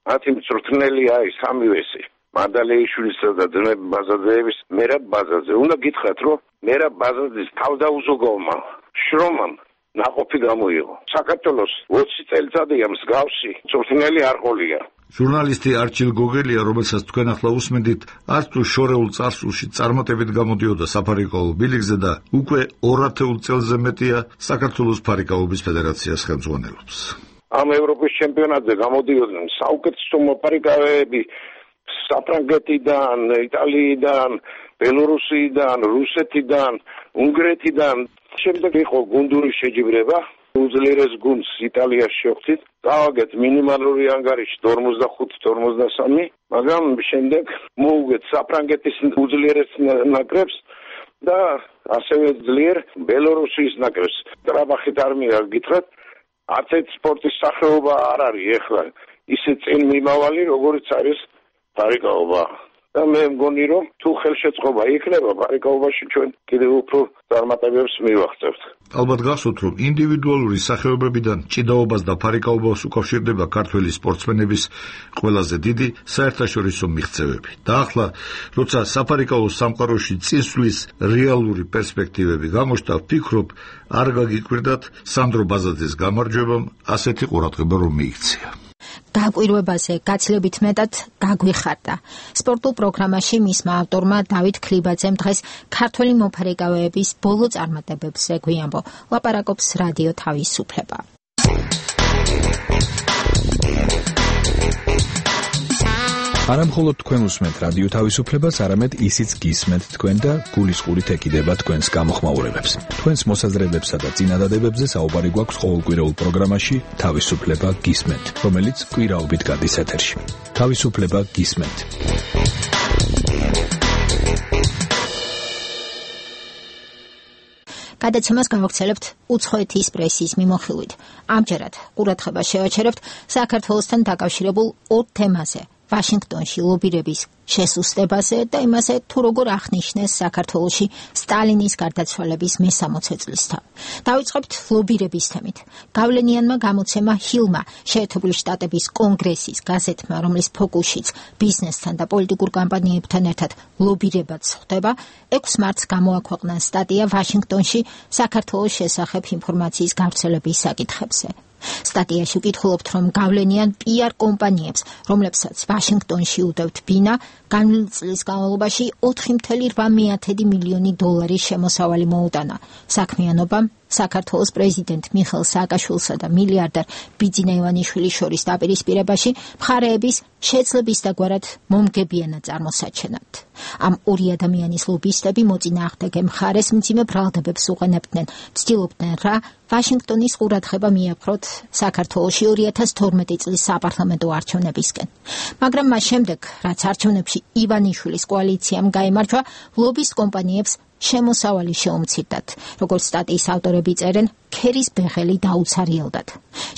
მათი მწვრთნელია ის სამივესი. მადალეიშვილისა და ძმები ბაზაძეების მერაბ ბაზაძე. უნდა გითხრათ, რომ მერაბ ბაზაძის თავს დაუზოგავმა შრომამ ნაყოფი გამოიღო. საქართველოს ოცი წელიწადია მსგავსი მწვრთნელი არ ყოლია.
ჟურნალისტი არჩილ გოგელია, რომელსაც თქვენ ახლა უსმენთ, არც თუ შორეულ წარსულში წარმატებით გამოდიოდა საფარიკაო ბილიკზე და უკვე ორ ათეულ წელზე მეტია საქართველოს ფარიკაობის ფედერაციას ხელმძღვანელობს.
ამ ევროპის ჩემპიონატზე გამოდიოდნენ საუკეთესო მოფარიკავეები საფრანგეთიდან, იტალიიდან, ბელორუსიიდან, რუსეთიდან, უნგრეთიდან. შემდეგ იყო გუნდური შეჯიბრება, უძლიერეს გუნდს იტალიაში შევხვდით, გავაგეთ მინიმალური ანგარიში ორმოცდახუთი ორმოცდასამი, მაგრამ შემდეგ მოუგეთ საფრანგეთის უძლიერეს ნაკრებს და ასევე ძლიერ ბელორუსიის ნაკრებს. ტრაბახით არმია გითხრათ, არც ერთ სპორტის სახეობა არ არის ეხლა ისე წინ მიმავალი, როგორც არის ფარიკაობა. და მე მგონი, რომ თუ ხელშეწყობა იქნება ფარიკაობაში, ჩვენ კიდევ უფრო წარმატებებს მივაღწევთ.
ალბათ გახსოვთ, რომ ინდივიდუალური სახეობებიდან ჭიდაობას და ფარიკაობას უკავშირდება ქართველი სპორტსმენების ყველაზე დიდი საერთაშორისო მიღწევები. და ახლა, როცა საფარიკაო სამყაროში წინსვლის რეალური პერსპექტივები გამოჩნდა, ვფიქრობ, არ გაგიკვირდათ სანდრო ბაზაძეს გამარჯვებამ ასეთი ყურადღება რომ მიიქცია.
გაკვირვებაზე გაცილებით მეტად გაგვიხარდა. სპორტულ პროგრამაში მისმა ავტორმა დავით ქლიბაძემ დღეს ქართველი მოფარიკავეების ბოლო წარმატებებზე გვიამბო. ლაპარაკობს რადიო თავისუფლება.
არამხოლოდ თქვენ უსმენთ რადიო თავისუფლებას, არამედ ისიც გისმენთ თქვენ და გულისყურით ეკიდება თქვენს გამოხმაურებებს. თქვენს მოსაზრებებსა და წინადადებებზე საუბარი გვაქვს ყოველკვირეულ პროგრამაში თავისუფლება გისმენთ, რომელიც კვირაობით გადის ეთერში. თავისუფლება გისმენთ.
გადაცემას გავაგრძელებთ უცხოეთის პრესის მიმოხილვით. ამჯერად ყურადღებას შევაჩერებთ საქართველოსთან დაკავშირებულ ორ თემაზე. ვაშინგტონში ლობირების შესუსტებაზე და იმაზე, თუ როგორ აღნიშნეს საქართველოში სტალინის გარდაცვალების მესამოცე წლისთავი. დავიწყებთ ლობირების თემით. გავლენიანმა გამოცემა ჰილმა, შეერთებული შტატების კონგრესის გაზეთმა, რომლის ფოკუსშიც ბიზნესთან და პოლიტიკურ კამპანიებთან ერთად ლობირებაც ხდება, ექვსი მარტს გამოაქვეყნა სტატია ვაშინგტონში საქართველოს შესახებ ინფორმაციის გავრცელების საკითხებზე. სტატიაში ვკითხულობთ, რომ გავლენიან პი არ კომპანიებს, რომლებსაც ვაშინგტონში უდევთ ბინა, განვლილი წლის განმავლობაში ოთხი კoma რვა მილიონი დოლარის შემოსავალი მოუტანა. საქმიანობამ საქართველოს პრეზიდენტ მიხეილ სააკაშვილსა და მილიარდერ ბიძინა ივანიშვილის შორის დაპირისპირებაში მხარეების შეძლების დაგვარად მომგებიანად წარმოსაჩენად. Ამ ორი ადამიანის ლობისტები მოწინააღმდეგე მხარეს მძიმე ბრალდებებს უყენებდნენ, ცდილობდნენ რა ვაშინგტონის ყურადღება მიეპყროთ საქართველოში ორი ათას თორმეტი წლის საპარლამენტო არჩევნებისკენ. მაგრამ მას შემდეგ, რაც არჩევნებში ივანიშვილის კოალიციამ გაიმარჯვა, ლობის კომპანიებს შემოსავალი შეუმცირდათ, როგორც სტატიის ავტორები წერენ, ქერის ბეღელი დაუცარიელდათ.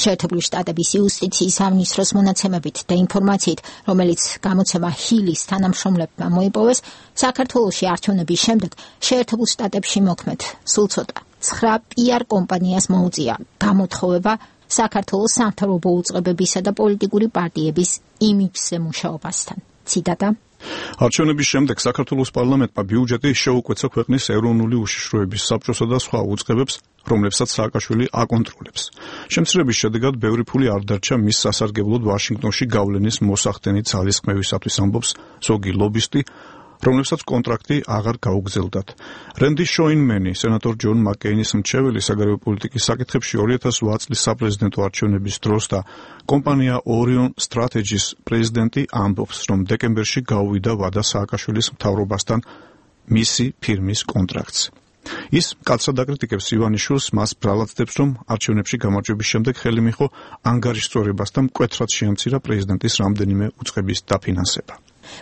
შეერთებული შტატების იუსტიციის სამინისტროს მონაცემებით და ინფორმაციით, რომელიც გამოცემა ჰილის თანამშრომლებმა მოიპოვეს, საქართველოში არჩევნების შემდეგ შეერთებულ შტატებში მოქმედ სულ ცოტა ცხრა პიარ კომპანიას მოუწია გამოთხოვება საქართველოს სამთავრობო უწყებებისა და პოლიტიკური პარტიების იმიჯზე მუშაობასთან. ციტატა:
არჩევნების შემდეგ საქართველოს პარლამენტმა ბიუჯეტი შეუკვეცა ქვეყნის ეროვნული უშიშროების საბჭოსა და სხვა უწყებებს, რომლებსაც სააკაშვილი აკონტროლებს. შემცირების შედეგად ბევრი ფული არ დარჩა მის სასარგებლოდ ვაშინგტონში გავლენის მოსახდენი ძალისხმევისათვის, ამბობს ზოგი ლობისტი, რომლებსაც კონტრაქტი აღარ გაუგზელდათ. რენდი შოინმენი, სენატორ ჯონ მაკეინის მრჩეველი საგარეო პოლიტიკის საკითხებში ორი ათას ოთხ წლის საპრეზიდენტო არჩევნების დროს და კომპანია Orion Strategies პრეზიდენტი ამბობს, რომ დეკემბერში გაუვიდა ვადა სააკაშვილის მთავრობასთან მისი ფირმის კონტრაქტს. ის მკაცრად აკრიტიკებს ივანიშვილს, მას ბრალადდებს, რომ არჩევნებში გამარჯვების შემდეგ ხელი მიიღო ანგარიშწორებას და მკვეთრად შეამცირა პრეზიდენტის რამდენიმე უწყების დაფინანსება.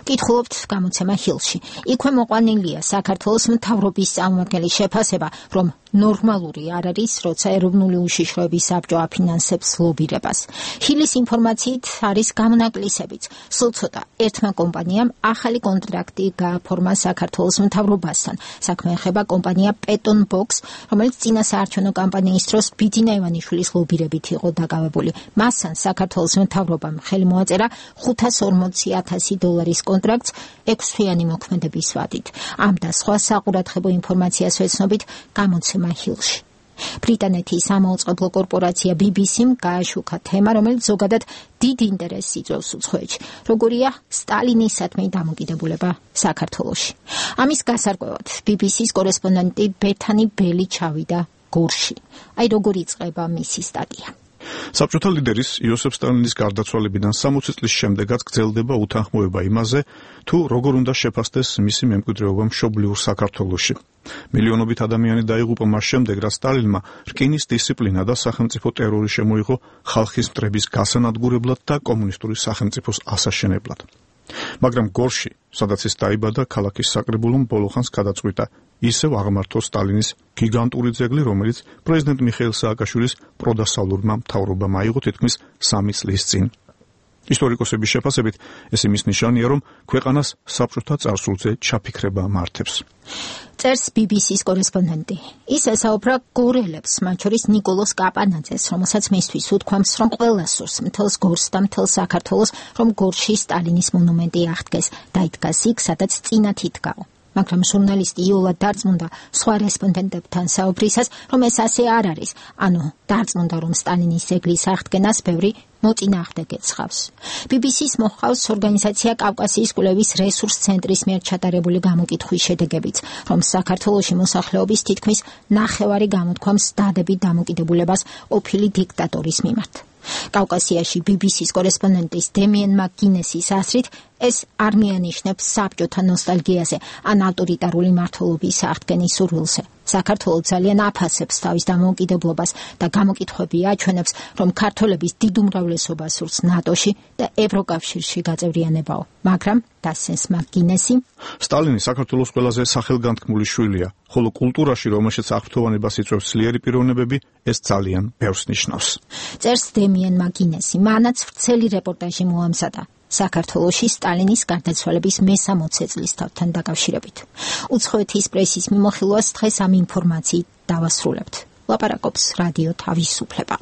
კითხულობთ გამოცემა ჰილში. იქვე მოყვანილია საქართველოს მთავრობის წარმომადგენლის შეფასება, რომ ნორმალური არ არის, როცა ეროვნული უშიშროების საბჭო აფინანსებს ლობირებას. ჰილის ინფორმაციით არის გამონაკლისებიც. სულ ცოტა ერთმა კომპანიამ ახალი კონტრაქტი გააფორმა საქართველოს მთავრობასთან. საქმე ეხება კომპანია Peton Box, რომელიც წინა საარჩევნო კამპანიის დროს ბიძინა ივანიშვილის ლობირებით იყო დაკავებული. მასთან საქართველოს მთავრობამ ხელი მოაწერა ხუთას ორმოცი ათასი დოლარის კონტრაქტს ექვსთვიანი მოქმედების ვადით. ამ და სხვა საყურადღებო ინფორმაციას ვეცნობით გამოცემა ჰილში. ბრიტანეთის სამაუწყებლო კორპორაცია ბი ბი სიმ გააშუქა თემა, რომელიც ზოგადად დიდ ინტერესს იწვევს უცხოეთში. როგორია სტალინისადმი დამოკიდებულება საქართველოში. ამის გასარკვევად ბი ბი სის კორესპონდენტი ბეთანი ბელი ჩავიდა გორში. აი როგორ იწყება მისი სტატია.
საბჭოთა ლიდერის იოსებ სტალინის გარდაცვალებიდან სამოცი წლის შემდეგაც გრძელდება უთანხმოება იმაზე, თუ როგორ უნდა შეფასდეს მისი მემკვიდრეობა მშობლიურ საქართველოში. მილიონობით ადამიანი დაიღუპა მას შემდეგ, რაც სტალინმა რკინის დისციპლინა და სახელმწიფო ტერორი შემოიღო ხალხის მტრების გასანადგურებლად და კომუნისტური სახელმწიფოს ასაშენებლად. მაგრამ გორში, სადაც ის დაიბადა, ქალაქის საკრებულომ ბოლოხანს გადაწყვიტა ისევ აღმართო სტალინის გიგანტური ძეგლი, რომელიც პრეზიდენტ მიხეილ სააკაშვილის პროდასავლურმა მთავრობამ აიღო თითქმის სამი წლის წინ. ისტორიკოსების შეფასებით, ეს იმის ნიშანია, რომ ქვეყანას საბჭოთა წარსულზე ჩაფიქრება მართებს.
წერს ბი ბი სის კორესპონდენტი. ის ესაუბრა გორელებს, მათ შორის ნიკოლოს კაპანაძეს, რომელსაც მისთვის უთქვამს, რომ ყველა სურს მთელს გორს და მთელ საქართველოს, რომ გორში სტალინის მონუმენტი აღდგეს და იდგას იქ, სადაც წინათ იდგაო. მაგრამ ჟურნალისტი იოლა დარწმუნდა სხვა რესპონდენტებთან საუბრისას, რომ ეს ასე არ არის. ანუ დარწმუნდა, რომ სტალინის ძეგლის აღდგენას ბევრი მოწინააღმდეგე ცხავს. ბი ბი სის მოჰყავს ორგანიზაცია კავკასიის კვლევის რესურს ცენტრის მიერ ჩატარებული გამოკითხვის შედეგებიც, რომ საქართველოში მოსახლეობის თითქმის ნახევარი გამოთქვამს დადებით დამოკიდებულებას ყოფილი დიქტატორის მიმართ. კავკასიაში ბი ბი სის კორესპონდენტის დემიენ მაკგინესის აზრით, ეს არ მიანიშნებს საბჭოთა ნოსტალგიაზე ან ავტორიტარული მმართველობის აღდგენის სურვილზე. საქართველო ძალიან აფასებს თავის დამოუკიდებლობას და გამოკითხვები აჩვენებს, რომ ქართველების დიდ უმრავლესობა სურს ნატოში და ევროკავშირში გაწევრიანებაო. მაგრამ დასცენს მაკგინესი,
სტალინი საქართველოს ყველაზე სახელგანთქმული შვილია, ხოლო კულტურაში, რომელშიც აღფრთოვანებას იწვევს ძლიერი პიროვნებები, ეს ძალიან ბევრს ნიშნავს.
წერს დემიენ მაკგინესი, მანაც ვრცელი რეპორტაჟი მოამზადა საქართველოში სტალინის გარდაცვალების მესამოცე წლისთავთან დაკავშირებით. უცხოეთის პრესის მიმოხილვას დღეს ამ ინფორმაციით დავასრულებთ. ლაპარაკობს რადიო თავისუფლება.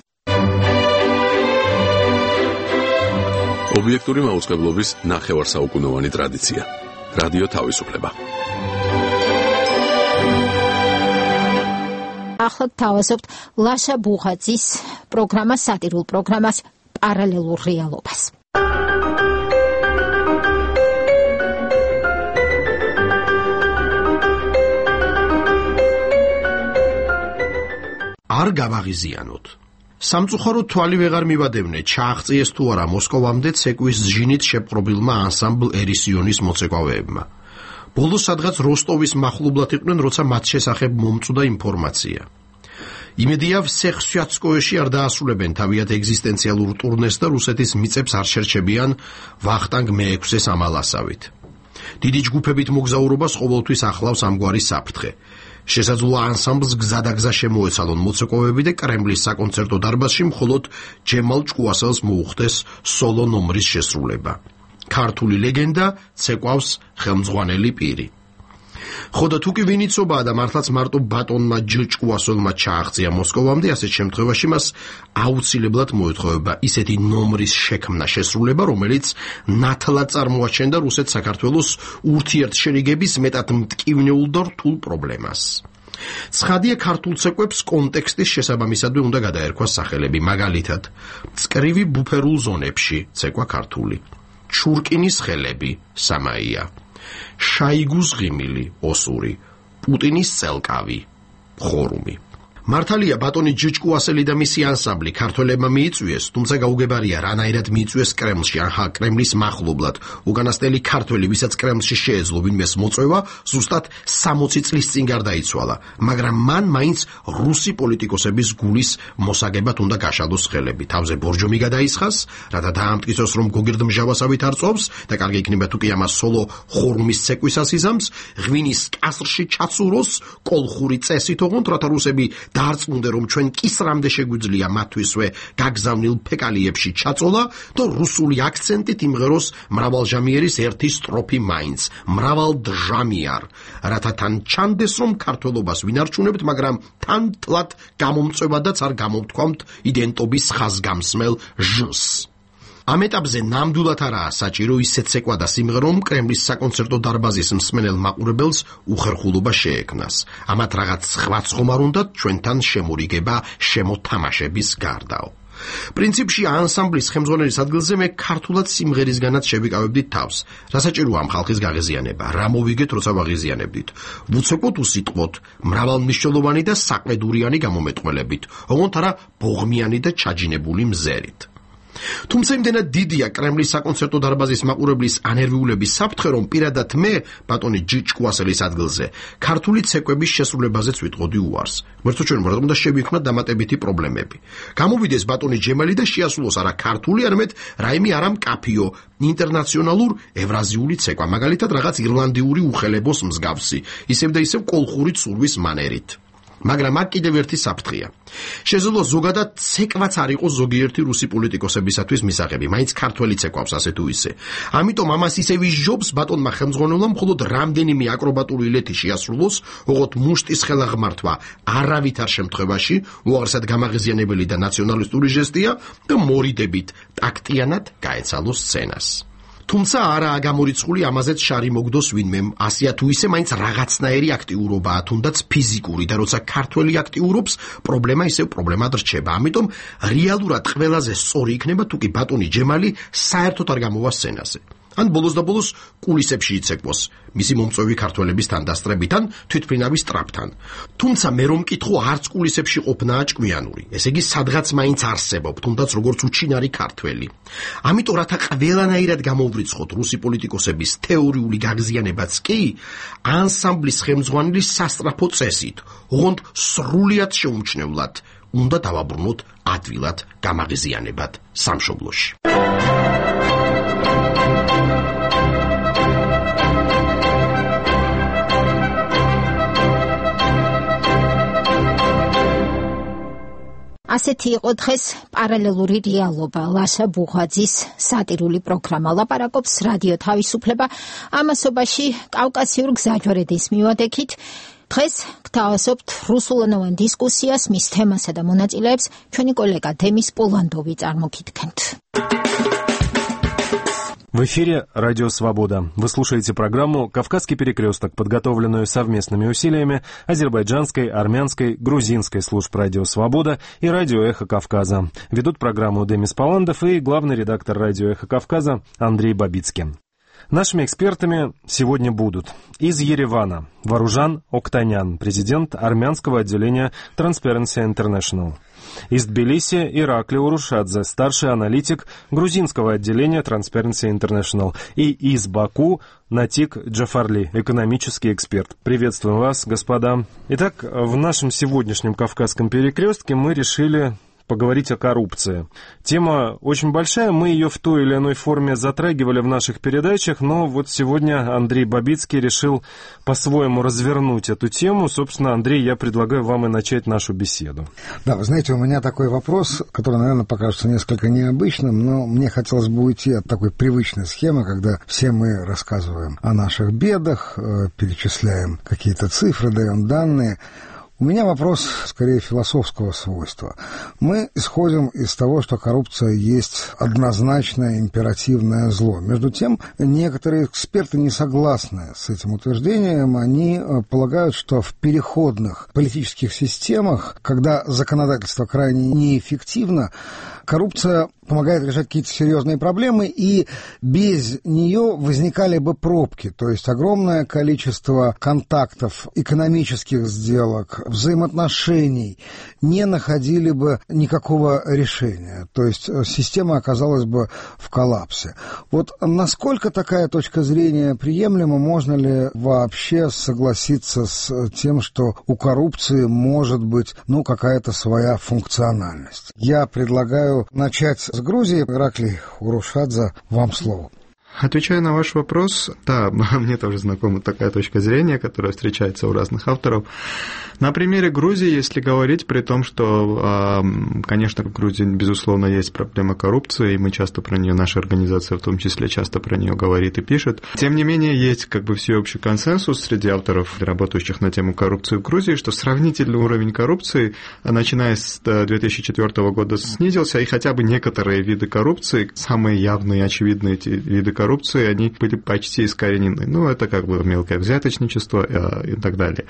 ობიექტური მაუწყებლობის ნახევარსაუკუნოვანი ტრადიცია. რადიო თავისუფლება.
ახლა თავაზობთ ლაშა ბუღაძის პროგრამას, სატირულ პროგრამას პარალელურ რეალობას.
არ გავაღიზიანოთ. სამწუხაროდ თვალი ვეღარ მივადევნე, ჩააღწიეს თუ არა მოსკოვამდე ცეკვის ჟინით შეპყრობილმა ანსამბლ ერისიონის მოცეკვავეებმა. ბოლოს სადღაც როსტოვის მახლობლად იყვნენ, როცა მათ შესახებ მომწვდა ინფორმაცია. იმედია ვსეხსიაცკოეში არ დაასრულებენ თავიანთ ეგზისტენციალურ ტურნეს და რუსეთის მიწებს არ შერჩებიან ვახტანგ მეექვსეს ამალასავით. დიდი ჯგუფებით მოგზაურობას ყოველთვის ახლავს ამგვარი საფრთხე. შესაძლოა ანსამბლს გზადაგზა შემოეცალონ მოცეკვავები და კრემლის საკონცერტო დარბაზში მხოლოდ ჯემალ ჭკუასელს მოუხდეს სოლო ნომრის შესრულება. ქართული ლეგენდა ცეკვავს ხელმძღვანელი პირი. ხოდა თუ კი ვინ იცობაა და მართლაც მარტო ბატონმა ჭკუასელმა ჩააღწია მოსკოვამდე, ასეთ შემთხვევაში მას აუცილებლად მოეთხოვება ისეთი ნომრის შექმნა შესრულება, რომელიც ნათლად წარმოაჩენდა რუსეთ-საქართველოს ურთიერთშერიგების მეტად მტკივნეულ და რთულ პრობლემას. ცხადია, ქართულ ცეკვებს კონტექსტის შესაბამისადვე უნდა გადაერქვას სახელები, მაგალითად, წკრივი ბუფერულ ზონებში ცეკვა ქართული, ჩურკინის ხელები სამაია, შაიგუს ღიმილი ოსური, პუტინის წელკავი ხორუმი. მართალია ბატონი ჭკუასელი და მისი ანსამბლი ქართველებმა მიიწვიეს, თუმცა გაუგებარია რანაირად მიიწვიეს კრემლში, ახლა კრემლის მახლობლად. უკანასკნელი ქართველი, ვისაც კრემლში შეეძლო ვინმეს მოწვევა, ზუსტად სამოცი წლის წინ გარდაიცვალა, მაგრამ მან მაინც რუსი პოლიტიკოსების გულის მოსაგებად უნდა გაშალოს ხელები. თავზე ბორჯომი გადაისხას, რათა დაამტკიცოს, რომ გოგირდმჟავასავით არ წობს და კარგი იქნება თუ კი ამას სოლო ხორუმის ცეკვისას იზამს, ღვინის კასრში ჩაცუროს, კოლხური წესით ოღონდ, რათა რუსები დაარწმუნდე, რომ ჩვენ კისრამდე შეგვიძლია მათთვისვე გაგზავნილ ფეკალიებში ჩაწოლა და რუსული აქცენტით იმღეროს მრავალჟამიერის ერთი სტროფი მაინც, მრავალდჟამიარ, რათა თან ჩანდეს, რომ ქართველობას ვინარჩუნებთ, მაგრამ თან თლად გამომწვევადაც არ გამოვთქვამთ იდენტობის ხაზგამსმელ ჟს. ამ ეტაპზე ნამდვილად არაა საჭირო ისეთ ცეკვა და სიმღერა, რომ კრემლის საკონცერტო დარბაზის მსმენელ მაყურებელს უხერხულობა შეექმნას. ამათ რაღაც სხვა ცხომარ უნდათ ჩვენთან შემორიგება შემოთამაშების გარდაო. პრინციპში ანსამბლის ხელმძღვანელის ადგილზე მე ქართულად სიმღერისგანაც შევიკავებდით თავს. რა საჭიროა ამ ხალხის გაღიზიანება? რა მოვიგეთ, როცა ვაღიზიანებდით? ვუცეკოთ უსიტყვოთ, მრავალმნიშვნელოვანი და საყედურიანი გამომეტყველებით, ოღონდ არა ბოღმიანი და ჩაჯინებული მზერით. თუმცა იმდენად დიდია კრემლის საკონცერტო დარბაზის მაყურებლის ანერვიულების საფრთხე, რომ პირადად მე, ბატონი ჭკუასელის ადგილზე, ქართული ცეკვების შესრულებაზეც ვიტყოდი უარს. ვერთო ჩვენ რატომ და შევიქმნათ დამატებითი პრობლემები. გამოვიდეს ბატონი ჯემალი და შეასრულოს არა ქართული, არამედ რაიმე არა მკაფიო, ინტერნაციონალურ ევრაზიული ცეკვა, მაგალითად რაღაც ირლანდიური უხელებოს მსგავსი, ისევ და ისევ კოლხური ცურვის მანერით. მაგრამ აქ კიდევ ერთი საფრთხეა. შესაძლოა ზოგადად ცეკვაც არ იყოს ზოგიერთი რუსი პოლიტიკოსებისათვის მისაღები, მაინც ქართველი ცეკვავს ასე თუ ისე. ამიტომ ამას ისევ ისჯობს ბატონმა ხელმძღვანელმა მხოლოდ რამდენიმე აკრობატული ილეთი შეასრულოს, ოღონდ მუშტის ხელაღმართვა არავითარ შემთხვევაში უარსად გამაღიზიანებელი და ნაციონალისტური ჟესტია და მორიდებით ტაქტიანად გაეცალოს სცენას. თუმცა არაა გამორიცხული ამაზეც შარი მოგდოს ვინმემ, ასია თუ ისე მაინც რაღაცნაირი აქტიურობაა, თუნდაც ფიზიკური და როცა ქართველი აქტიურობს, პრობლემა ისევ პრობლემად რჩება. ამიტომ რეალურად ყველაზე სწორი იქნება თუ კი ბატონი ჯემალი საერთოდ არ გამოვა სცენაზე. ან ბოლოს და ბოლოს კულისებში იცეკვოს, მისი მომწვევი ქართველების თანდასწრებით, ან თვითმფრინავის ტრაპთან. თუმცა მე რომ მკითხო, არც კულისებში ყოფნაა ჭკვიანური. ესე იგი, სადღაც მაინც არსებობ, თუნდაც როგორც უჩინარი ქართველი. ამიტომ რათა ყველანაირად გამოვრიცხოთ რუსი პოლიტიკოსების თეორიული გაღზიანებაც კი, ანსამბლის ხელმძღვანელის სასწრაფო წესით, ოღონდ სრულიად შეუმჩნევლად უნდა დავაბრუნოთ ადვილად გამაღიზიანებად სამშობლოში.
ასეთი იყო დღეს პარალელური რეალობა, ლაშა ბუღაძის სატირული პროგრამა. ლაპარაკობს რადიო თავისუფლება ამასობაში კავკასიურ გზაჯვარედის მივადექით. დღეს გთავაზობთ რუსულენოვან დისკუსიას, მის თემასა და მონაწილეებს ჩვენი კოლეგა დემის პოლანდოვი წარმოგიდგენთ.
В эфире Радио Свобода. Вы слушаете программу «Кавказский перекресток», подготовленную совместными усилиями азербайджанской, армянской, грузинской служб Радио Свобода и Радио Эхо Кавказа. Ведут программу Демис Поландов и главный редактор Радио Эхо Кавказа Андрей Бабицкин. Нашими экспертами сегодня будут из Еревана Варужан Октанян, президент армянского отделения Transparency International. Из Тбилиси Иракли Урушадзе, старший аналитик грузинского отделения Transparency International. И из Баку Натик Джафарли, экономический эксперт. Приветствуем вас, господа. Итак, в нашем сегодняшнем Кавказском перекрестке мы решили поговорить о коррупции. Тема очень большая, мы ее в той или иной форме затрагивали в наших передачах, но вот сегодня Андрей Бабицкий решил по-своему развернуть эту тему. Собственно, Андрей, я предлагаю вам и начать нашу беседу.
Да, вы знаете, у меня такой вопрос, который, наверное, покажется несколько необычным, но мне хотелось бы уйти от такой привычной схемы, когда все мы рассказываем о наших бедах, перечисляем какие-то цифры, даем данные. У меня вопрос, скорее, философского свойства. Мы исходим из того, что коррупция есть однозначное императивное зло. Между тем, некоторые эксперты не согласны с этим утверждением. Они полагают, что в переходных политических системах, когда законодательство крайне неэффективно, коррупция помогает решать какие-то серьезные проблемы, и без нее возникали бы пробки, то есть огромное количество контактов, экономических сделок, взаимоотношений не находили бы никакого решения, то есть система оказалась бы в коллапсе. Вот насколько такая точка зрения приемлема, можно ли вообще согласиться с тем, что у коррупции может быть, ну, какая-то своя функциональность? Я предлагаю начать с Грузии. Ираклий Урушадзе, вам слово.
Отвечая на ваш вопрос, да, мне тоже знакома такая точка зрения, которая встречается у разных авторов. На примере Грузии, если говорить, при том, что, конечно, в Грузии, безусловно, есть проблема коррупции, и мы часто про нее, наша организация в том числе, часто про нее говорит и пишет. Тем не менее, есть как бы всеобщий консенсус среди авторов, работающих на тему коррупции в Грузии, что сравнительный уровень коррупции, начиная с две тысячи четвёртого года, снизился, и хотя бы некоторые виды коррупции, самые явные и очевидные эти виды коррупции, они были почти искоренены. Ну, это как бы мелкое взяточничество и так далее.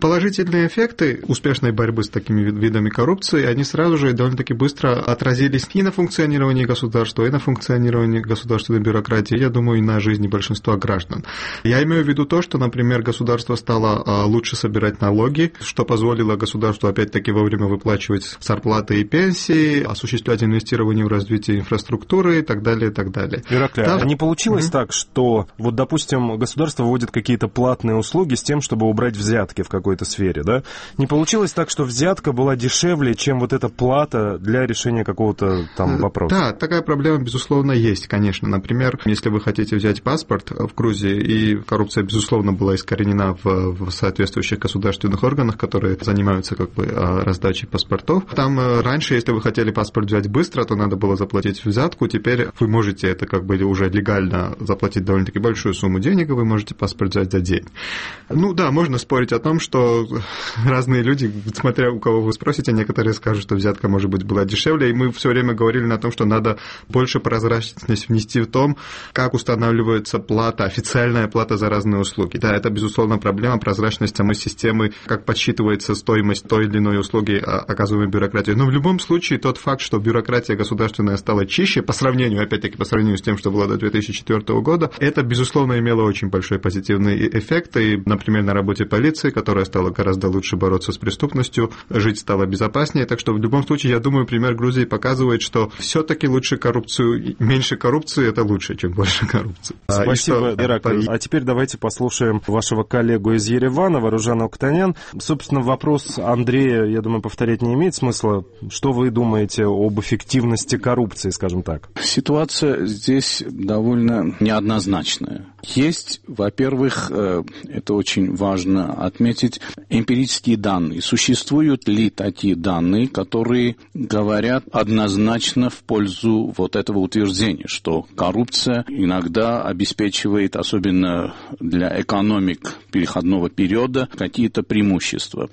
Положительные эффекты успешной борьбы с такими видами коррупции, они сразу же довольно-таки быстро отразились и на функционировании государства, и на функционировании государственной бюрократии, я думаю, и на жизни большинства граждан. Я имею в виду то, что, например, государство стало лучше собирать налоги, что позволило государству, опять-таки, вовремя выплачивать зарплаты и пенсии, осуществлять инвестирование в развитие инфраструктуры и так далее, и так далее.
Ираклий,
да?
а не получилось mm-hmm. так, что, вот, допустим, государство вводит какие-то платные услуги с тем, чтобы убрать взятки в какой-то какой-то сфере, да? Не получилось так, что взятка была дешевле, чем вот эта плата для решения какого-то там вопроса?
Да, такая проблема, безусловно, есть, конечно. Например, если вы хотите взять паспорт в Грузии, и коррупция, безусловно, была искоренена в, в соответствующих государственных органах, которые занимаются как бы раздачей паспортов. Там раньше, если вы хотели паспорт взять быстро, то надо было заплатить взятку. Теперь вы можете это как бы уже легально заплатить довольно-таки большую сумму денег, и вы можете паспорт взять за день. Ну да, можно спорить о том, что разные люди, смотря у кого вы спросите, некоторые скажут, что взятка, может быть, была дешевле, и мы все время говорили на том, что надо больше прозрачность внести в том, как устанавливается плата, официальная плата за разные услуги. Да, это, безусловно, проблема прозрачности самой системы, как подсчитывается стоимость той или иной услуги, оказываемой бюрократией. Но в любом случае тот факт, что бюрократия государственная стала чище, по сравнению, опять-таки, по сравнению с тем, что было до две тысячи четвёртого года, это, безусловно, имело очень большой позитивный эффект. И, например, на работе полиции, которая стала гораздо лучше бороться с преступностью, жить стало безопаснее. Так что в любом случае, я думаю, пример Грузии показывает, что все-таки лучше коррупцию, меньше коррупции это лучше, чем больше коррупции.
Спасибо, Ираклий. А теперь давайте послушаем вашего коллегу из Еревана, Варужана Октанян. Собственно, вопрос Андрея, я думаю, повторять не имеет смысла. Что вы думаете об эффективности коррупции, скажем так?
Ситуация здесь довольно неоднозначная. Есть, во-первых, это очень важно отметить, эмпирические данные. Существуют ли такие данные, которые говорят однозначно в пользу вот этого утверждения, что коррупция иногда обеспечивает, особенно для экономик переходного периода какие-то преимущества.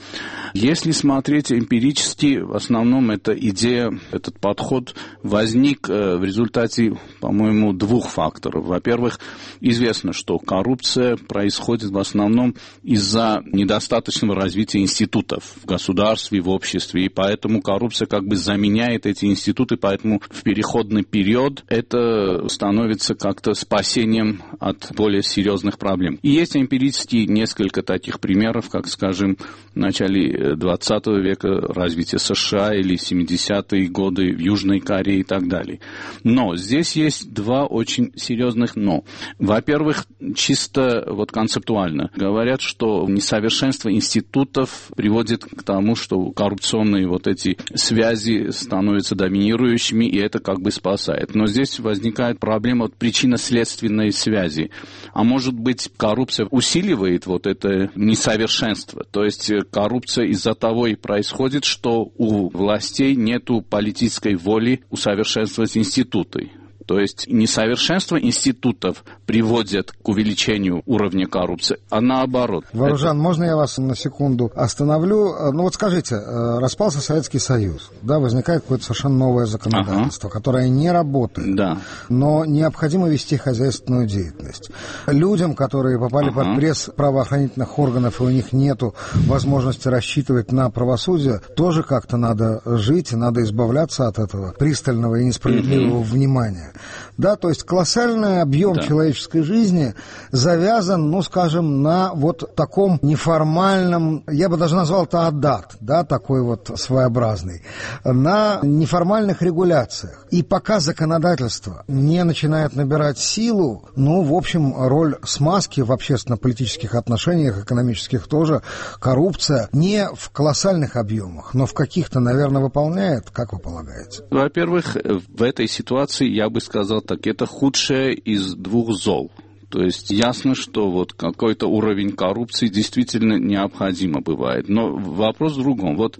Если смотреть эмпирически, в основном эта идея, этот подход возник в результате, по-моему, двух факторов. Во-первых, известно, что коррупция происходит в основном из-за недостаточного развития институтов в государстве, в обществе, и поэтому коррупция как бы заменяет эти институты, поэтому в переходный период это становится как-то спасением от более серьезных проблем. И есть эмпирически несколько таких примеров, как, скажем, в начале двадцатого века развитие США или семидесятые годы в Южной Корее и так далее. Но здесь есть два очень серьезных «но». Во-первых, чисто вот концептуально говорят, что несовершенство институтов приводит к тому, что коррупционные вот эти связи становятся доминирующими, и это как бы спасает. Но здесь возникает проблема вот причинно-следственной связи. А может быть, коррупция усиливает вот это несовершенство. То есть коррупция из-за того и происходит, что у властей нету политической воли усовершенствовать институты. То есть несовершенство институтов приводит к увеличению уровня коррупции, а наоборот.
Варужан, это... можно я вас на секунду остановлю? Ну вот скажите, распался Советский Союз, да, возникает какое-то совершенно новое законодательство, ага. которое не работает,
да.
но необходимо вести хозяйственную деятельность. Людям, которые попали ага. под пресс правоохранительных органов, и у них нету возможности рассчитывать на правосудие, тоже как-то надо жить, надо избавляться от этого пристального и несправедливого mm-hmm. внимания. Да, то есть колоссальный объем да. человеческой жизни завязан, ну, скажем, на вот таком неформальном, я бы даже назвал это адат, да, такой вот своеобразный, на неформальных регуляциях. И пока законодательство не начинает набирать силу, ну, в общем, роль смазки в общественно-политических отношениях, экономических тоже, коррупция не в колоссальных объемах, но в каких-то, наверное, выполняет, как вы полагаете?
Во-первых, в этой ситуации я бы сказал так, это худшее из двух зол. То есть ясно, что вот какой-то уровень коррупции действительно необходимо бывает. Но вопрос в другом. Вот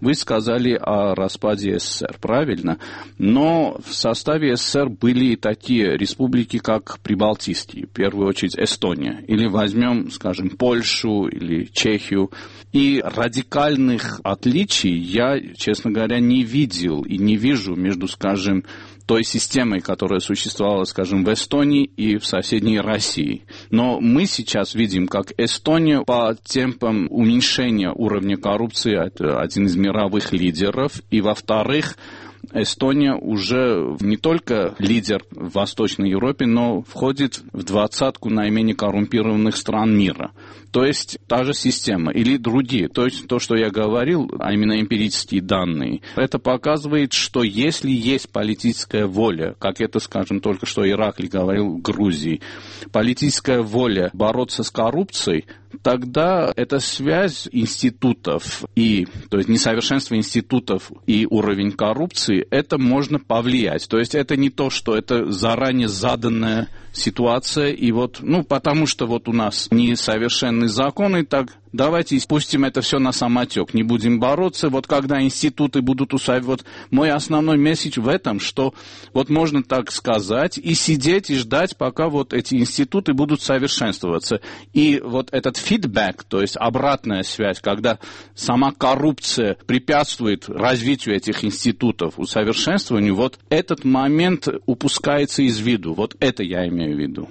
вы сказали о распаде СССР, правильно? Но в составе СССР были такие республики, как прибалтийские, в первую очередь Эстония. Или возьмем, скажем, Польшу или Чехию. И радикальных отличий я, честно говоря, не видел и не вижу между, скажем, той системой, которая существовала, скажем, в Эстонии и в соседней России. Но мы сейчас видим, как Эстония по темпам уменьшения уровня коррупции, это один из мировых лидеров, и, во-вторых, Эстония уже не только лидер в Восточной Европе, но входит в двадцатку наименее коррумпированных стран мира. То есть та же система или другие. То есть то, что я говорил, а именно эмпирические данные, это показывает, что если есть политическая воля, как это, скажем, только что Ираклий говорил в Грузии, политическая воля бороться с коррупцией, тогда эта связь институтов и, то есть несовершенство институтов и уровень коррупции, это можно повлиять. То есть это не то, что это заранее заданная ситуация, и вот, ну, потому что вот у нас несовершенные законы, так давайте спустим это все на самотек, не будем бороться. Вот когда институты будут усваивать, вот мой основной месседж в этом, что вот можно так сказать и сидеть и ждать, пока вот эти институты будут совершенствоваться. И вот этот фидбэк, то есть обратная связь, когда сама коррупция препятствует развитию этих институтов, усовершенствованию, вот этот момент упускается из виду. Вот это я имею в виду.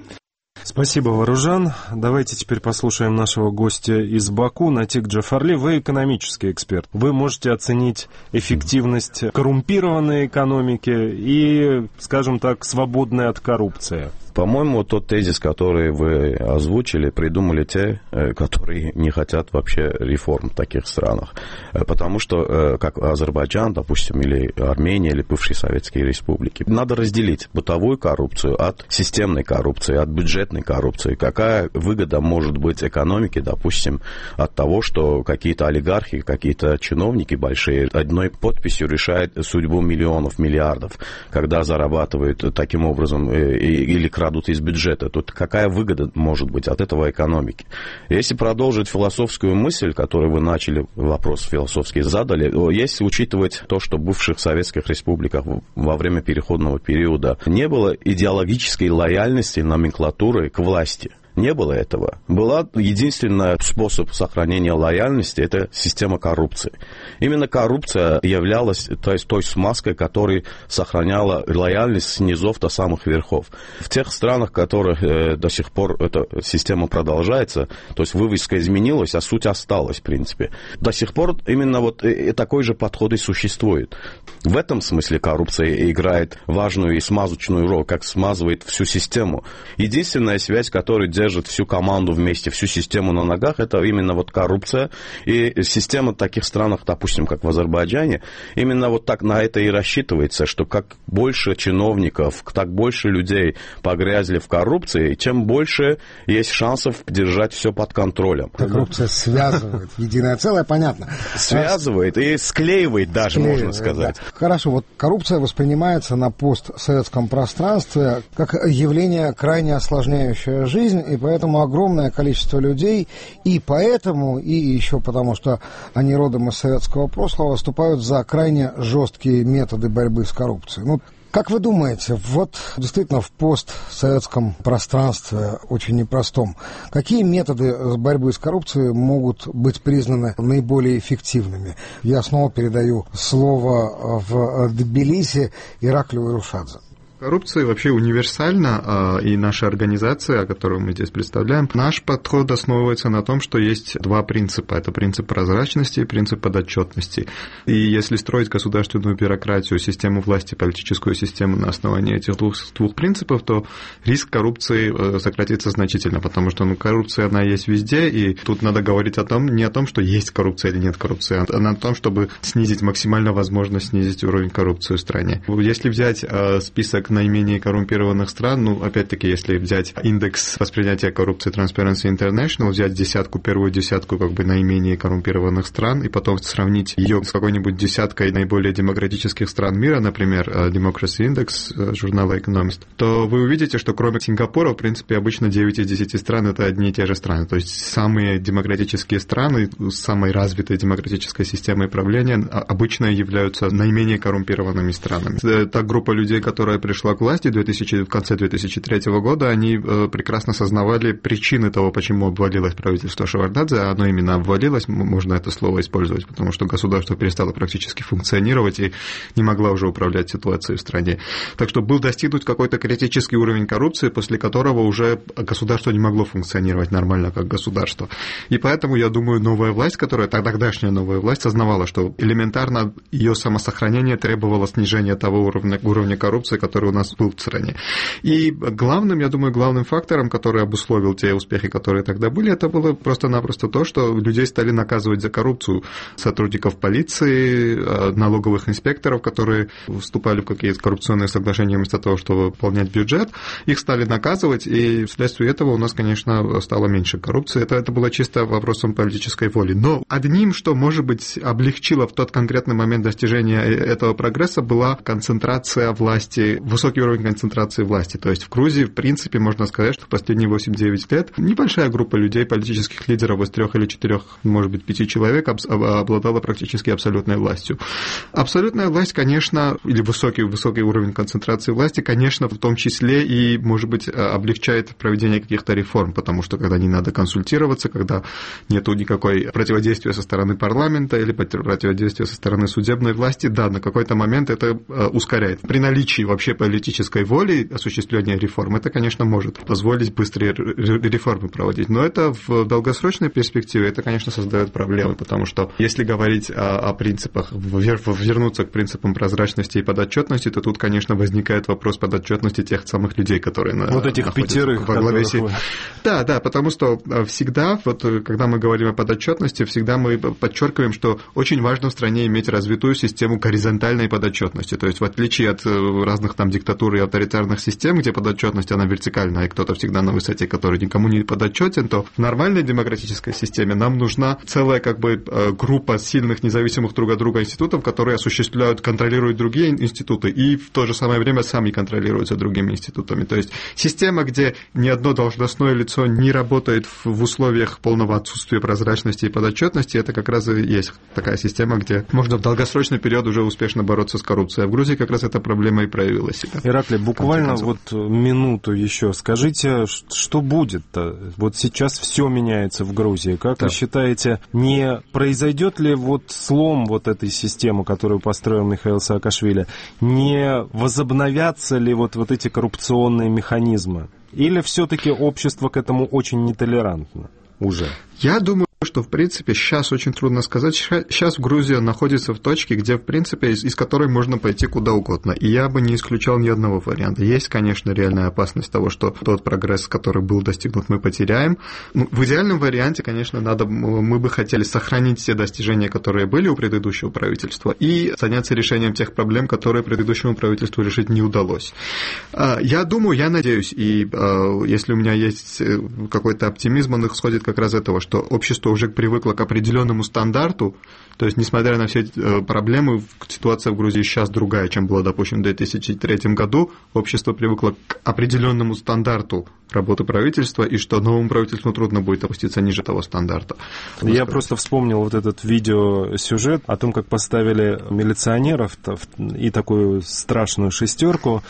Спасибо, Варужан. Давайте теперь послушаем нашего гостя из Баку, Натик Джафарли. Вы экономический эксперт. Вы можете оценить эффективность коррумпированной экономики и, скажем так, свободной от коррупции.
По-моему, тот тезис, который вы озвучили, придумали те, которые не хотят вообще реформ в таких странах. Потому что, как Азербайджан, допустим, или Армения, или бывшие советские республики, надо разделить бытовую коррупцию от системной коррупции, от бюджетной коррупции. Какая выгода может быть экономике, допустим, от того, что какие-то олигархи, какие-то чиновники большие одной подписью решают судьбу миллионов, миллиардов, когда зарабатывают таким образом или крадут из бюджета, тут какая выгода может быть от этого экономики? Если продолжить философскую мысль, которую вы начали, вопрос философский задали, если учитывать то, что в бывших советских республиках во время переходного периода не было идеологической лояльности номенклатуры к власти. Не было этого. Была единственный способ сохранения лояльности – это система коррупции. Именно коррупция являлась то есть, той смазкой, которая сохраняла лояльность с низов до самых верхов. В тех странах, в которых э, до сих пор эта система продолжается, то есть вывеска изменилась, а суть осталась, в принципе. До сих пор именно вот э, такой же подход и существует. В этом смысле коррупция играет важную и смазочную роль, как смазывает всю систему. Единственная связь, которая держит всю команду вместе, всю систему на ногах, это именно вот коррупция. И система в таких странах, допустим, как в Азербайджане, именно вот так на это и рассчитывается, что как больше чиновников, так больше людей погрязли в коррупции, чем больше есть шансов держать все под контролем.
Коррупция связывает в единое целое, понятно.
Связывает и склеивает даже, склеивает, можно сказать.
Да. Хорошо, вот коррупция воспринимается на постсоветском пространстве как явление крайне осложняющее жизнь, и поэтому огромное количество людей, и поэтому, и еще потому, что они родом из советского прошлого, выступают за крайне жесткие методы борьбы с коррупцией. Ну, как вы думаете, вот действительно в постсоветском пространстве очень непростом, какие методы борьбы с коррупцией могут быть признаны наиболее эффективными? Я снова передаю слово в Тбилиси Ираклию Ирушадзе.
Коррупция вообще универсальна, и наша организация, которую мы здесь представляем, наш подход основывается на том, что есть два принципа. Это принцип прозрачности и принцип подотчетности. И если строить государственную бюрократию, систему власти, политическую систему на основании этих двух, двух принципов, то риск коррупции сократится значительно, потому что ну, коррупция, она есть везде, и тут надо говорить о том, не о том, что есть коррупция или нет коррупции, а о том, чтобы снизить максимально возможность снизить уровень коррупции в стране. Если взять список наименее коррумпированных стран, ну, опять-таки, если взять индекс восприятия коррупции Transparency International, взять десятку, первую десятку как бы наименее коррумпированных стран и потом сравнить ее с какой-нибудь десяткой наиболее демократических стран мира, например, Democracy Index журнала Economist, то вы увидите, что кроме Сингапура, в принципе, обычно девять из десяти стран — это одни и те же страны. То есть самые демократические страны с самой развитой демократической системой правления обычно являются наименее коррумпированными странами. Та группа людей, которая пришла к власти в, две тысячи, в конце две тысячи третьего года, они э, прекрасно осознавали причины того, почему обвалилось правительство Шеварднадзе, а оно именно обвалилось, можно это слово использовать, потому что государство перестало практически функционировать и не могло уже управлять ситуацией в стране. Так что был достигнут какой-то критический уровень коррупции, после которого уже государство не могло функционировать нормально как государство. И поэтому, я думаю, новая власть, которая тогдашняя новая власть, осознавала, что элементарно ее самосохранение требовало снижения того уровня, уровня коррупции, который у нас был в стране. И главным, я думаю, главным фактором, который обусловил те успехи, которые тогда были, это было просто-напросто то, что людей стали наказывать за коррупцию. Сотрудников полиции, налоговых инспекторов, которые вступали в какие-то коррупционные соглашения вместо того, чтобы выполнять бюджет, их стали наказывать, и вследствие этого у нас, конечно, стало меньше коррупции. Это, это было чисто вопросом политической воли. Но одним, что, может быть, облегчило в тот конкретный момент достижения этого прогресса, была концентрация власти, высокий уровень концентрации власти. То есть в Грузии, в принципе, можно сказать, что в последние восемь-девять лет небольшая группа людей, политических лидеров из трех или четырех, может быть, пяти человек обладала практически абсолютной властью. Абсолютная власть, конечно, или высокий, высокий уровень концентрации власти, конечно, в том числе и, может быть, облегчает проведение каких-то реформ, потому что когда не надо консультироваться, когда нету никакой противодействия со стороны парламента или противодействия со стороны судебной власти, да, на какой-то момент это ускоряет. При наличии вообще политической воли осуществления реформ, это, конечно, может позволить быстрее реформы проводить. Но это в долгосрочной перспективе, это, конечно, создает проблемы, потому что если говорить о, о принципах, вернуться к принципам прозрачности и подотчетности, то тут, конечно, возникает вопрос подотчетности тех самых людей, которые
вот
на,
этих пятерых
во главе сети. Да, да, потому что всегда, вот, когда мы говорим о подотчетности, всегда мы подчеркиваем, что очень важно в стране иметь развитую систему горизонтальной подотчетности. То есть, в отличие от разных там диктатур и авторитарных систем, где подотчетность, она вертикальная, и кто-то всегда на высоте, который никому не подотчетен, то в нормальной демократической системе нам нужна целая как бы группа сильных, независимых друг от друга институтов, которые осуществляют, контролируют другие институты и в то же самое время сами контролируются другими институтами. То есть система, где ни одно должностное лицо не работает в условиях полного отсутствия прозрачности и подотчетности, это как раз и есть такая система, где можно в долгосрочный период уже успешно бороться с коррупцией. А в Грузии как раз эта проблема и проявилась. себя.
Ираклий, буквально вот минуту еще. Скажите, что будет-то? Вот сейчас все меняется в Грузии. Как да. вы считаете, не произойдет ли вот слом вот этой системы, которую построил Михаил Саакашвили? Не возобновятся ли вот, вот эти коррупционные механизмы? Или все-таки общество к этому очень нетолерантно уже?
Я думаю, что, в принципе, сейчас очень трудно сказать. Сейчас Грузия находится в точке, где, в принципе, из, из которой можно пойти куда угодно. И я бы не исключал ни одного варианта. Есть, конечно, реальная опасность того, что тот прогресс, который был достигнут, мы потеряем. Ну, в идеальном варианте, конечно, надо, мы бы хотели сохранить все достижения, которые были у предыдущего правительства, и заняться решением тех проблем, которые предыдущему правительству решить не удалось. Я думаю, я надеюсь, и если у меня есть какой-то оптимизм, он исходит как раз из этого, что общество уже привыкло к определенному стандарту, то есть, несмотря на все проблемы, ситуация в Грузии сейчас другая, чем была, допустим, в две тысячи третьем году. Общество привыкло к определенному стандарту работы правительства, и что новому правительству трудно будет опуститься ниже того стандарта.
Я сказать. просто вспомнил вот этот видеосюжет о том, как поставили милиционеров и такую страшную шестерку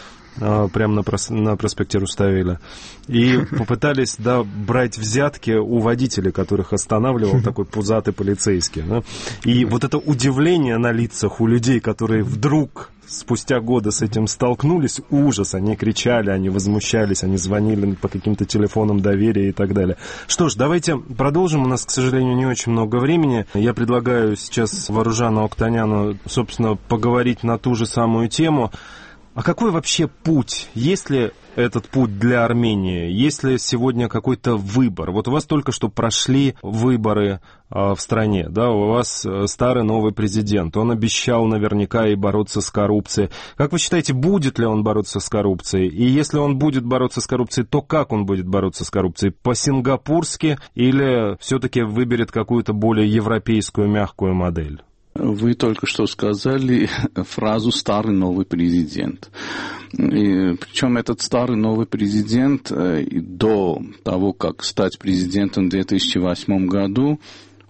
прямо на, прос... на проспекте Руставеля, и попытались, да, брать взятки у водителей, которых останавливал такой пузатый полицейский. Да? И вот это удивление на лицах у людей, которые вдруг спустя годы с этим столкнулись, ужас, они кричали, они возмущались, они звонили по каким-то телефонам доверия и так далее. Что ж, давайте продолжим, у нас, к сожалению, не очень много времени. Я предлагаю сейчас Варужану Октаняну, собственно, поговорить на ту же самую тему. А какой вообще путь? Есть ли этот путь для Армении? Есть ли сегодня какой-то выбор? Вот у вас только что прошли выборы а, в стране, да, у вас старый новый президент, он обещал наверняка и бороться с коррупцией. Как вы считаете, будет ли он бороться с коррупцией? И если он будет бороться с коррупцией, то как он будет бороться с коррупцией? По-сингапурски или все-таки выберет какую-то более европейскую мягкую модель?
Вы только что сказали фразу «старый новый президент». И, причем этот старый новый президент до того, как стать президентом в две тысячи восьмом году,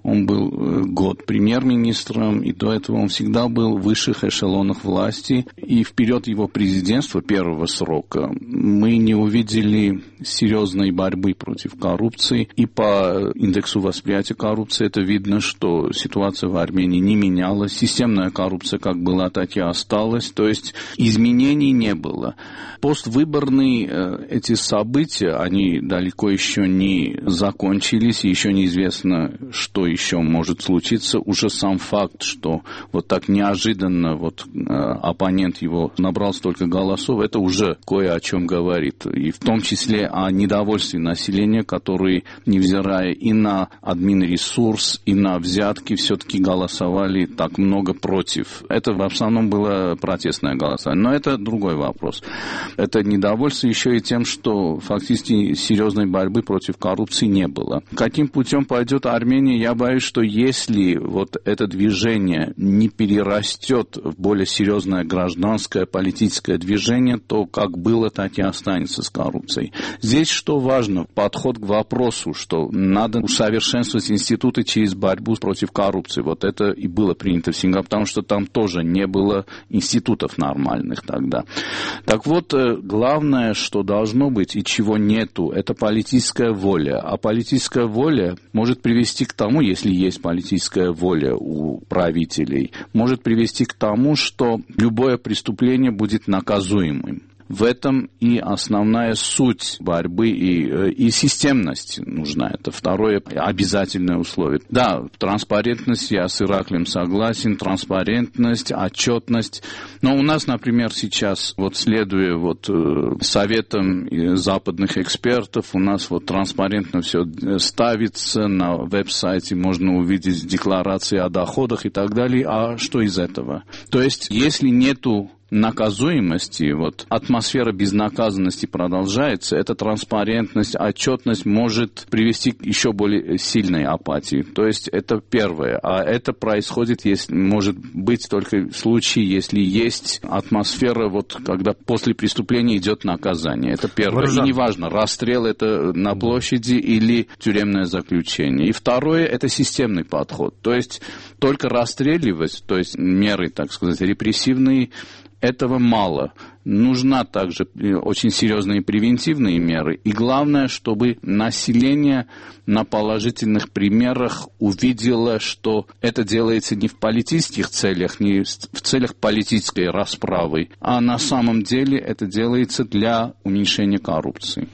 он был год премьер-министром, и до этого он всегда был в высших эшелонах власти. И в период его президентства, первого срока, мы не увидели серьезной борьбы против коррупции. И по индексу восприятия коррупции это видно, что ситуация в Армении не менялась. Системная коррупция как была, так и осталась. То есть изменений не было. Поствыборные эти события, они далеко еще не закончились, и еще неизвестно, что еще может случиться. Уже сам факт, что вот так неожиданно вот, э, оппонент его набрал столько голосов, это уже кое о чем говорит. И в том числе о недовольстве населения, которые, невзирая и на админресурс, и на взятки, все-таки голосовали так много против. Это в основном было протестное голосование. Но это другой вопрос. Это недовольство еще и тем, что фактически серьезной борьбы против коррупции не было. Каким путем пойдет Армения, я боюсь, что если вот это движение не перерастет в более серьезное гражданское политическое движение, то как было, так и останется с коррупцией. Здесь что важно? Подход к вопросу, что надо усовершенствовать институты через борьбу против коррупции. Вот это и было принято в Сингапуре, потому что там тоже не было институтов нормальных тогда. Так вот, главное, что должно быть и чего нету, это политическая воля. А политическая воля может привести к тому, если есть политическая воля у правителей, может привести к тому, что любое преступление будет наказуемым. В этом и основная суть борьбы, и, и системность нужна. Это второе обязательное условие. Да, транспарентность, я с Ираклием согласен, транспарентность, отчетность. Но у нас, например, сейчас, вот следуя вот, советам западных экспертов, у нас вот транспарентно все ставится, на веб-сайте можно увидеть декларации о доходах и так далее. А что из этого? То есть, если нету наказуемости, вот атмосфера безнаказанности продолжается, эта транспарентность, отчетность может привести к еще более сильной апатии. То есть это первое. А это происходит, если, может быть только в случае, если есть атмосфера, вот, когда после преступления идет наказание. Это первое. Варужан. И неважно, расстрел это на площади или тюремное заключение. И второе, это системный подход. То есть только расстреливать, то есть меры, так сказать, репрессивные, этого мало. нужна также очень серьезные превентивные меры. И главное, чтобы население на положительных примерах увидело, что это делается не в политических целях, не в целях политической расправы, а на самом деле это делается для уменьшения коррупции.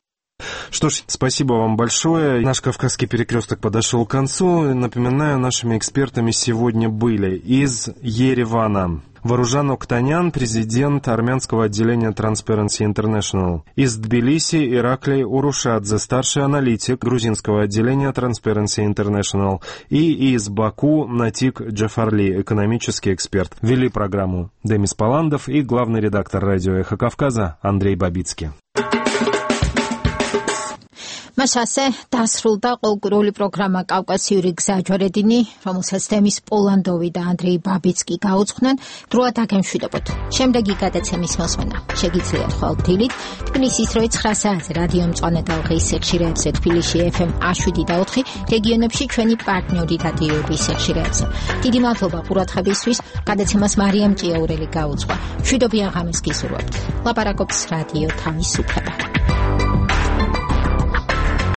Что ж, спасибо вам большое. Наш «Кавказский перекресток» подошел к концу. Напоминаю, нашими экспертами сегодня были из Еревана Варужан Октанян, президент армянского отделения Transparency International. Из Тбилиси Ираклий Урушадзе, старший аналитик грузинского отделения Transparency International. И из Баку Натик Джафарли, экономический эксперт. Вели программу Демис Паландов и главный редактор радио «Эхо Кавказа» Андрей Бабицкий.
მას ასე დასრულდა ყოველკვირეული პროგრამა კავკასიური გზაჯვარედინი, რომელსაც თემის პოლანდოვი და ანდრეი ბაბიცკი გაუძღვნენ. დროა დაგემშვიდობოთ. შემდეგი გადაცემის მოსმენა შეგიძლიათ ხვალ-დილით თბილისის როი ცხრა საათზე რადიო მწვანე ტალღის ექშირეებზე, თბილისში ეფ ემ შვიდი და ოთხი, რეგიონებში ჩვენი პარტნიორი რადიოების ექშირეებზე. დიდი მადლობა ყურადღებისთვის. გადაცემას მარიამ ჭიაურელი გაუძღვა. მშვიდობიან ღამეს გისურვებთ. ლაპარაკობს რადიო თავისუფლება.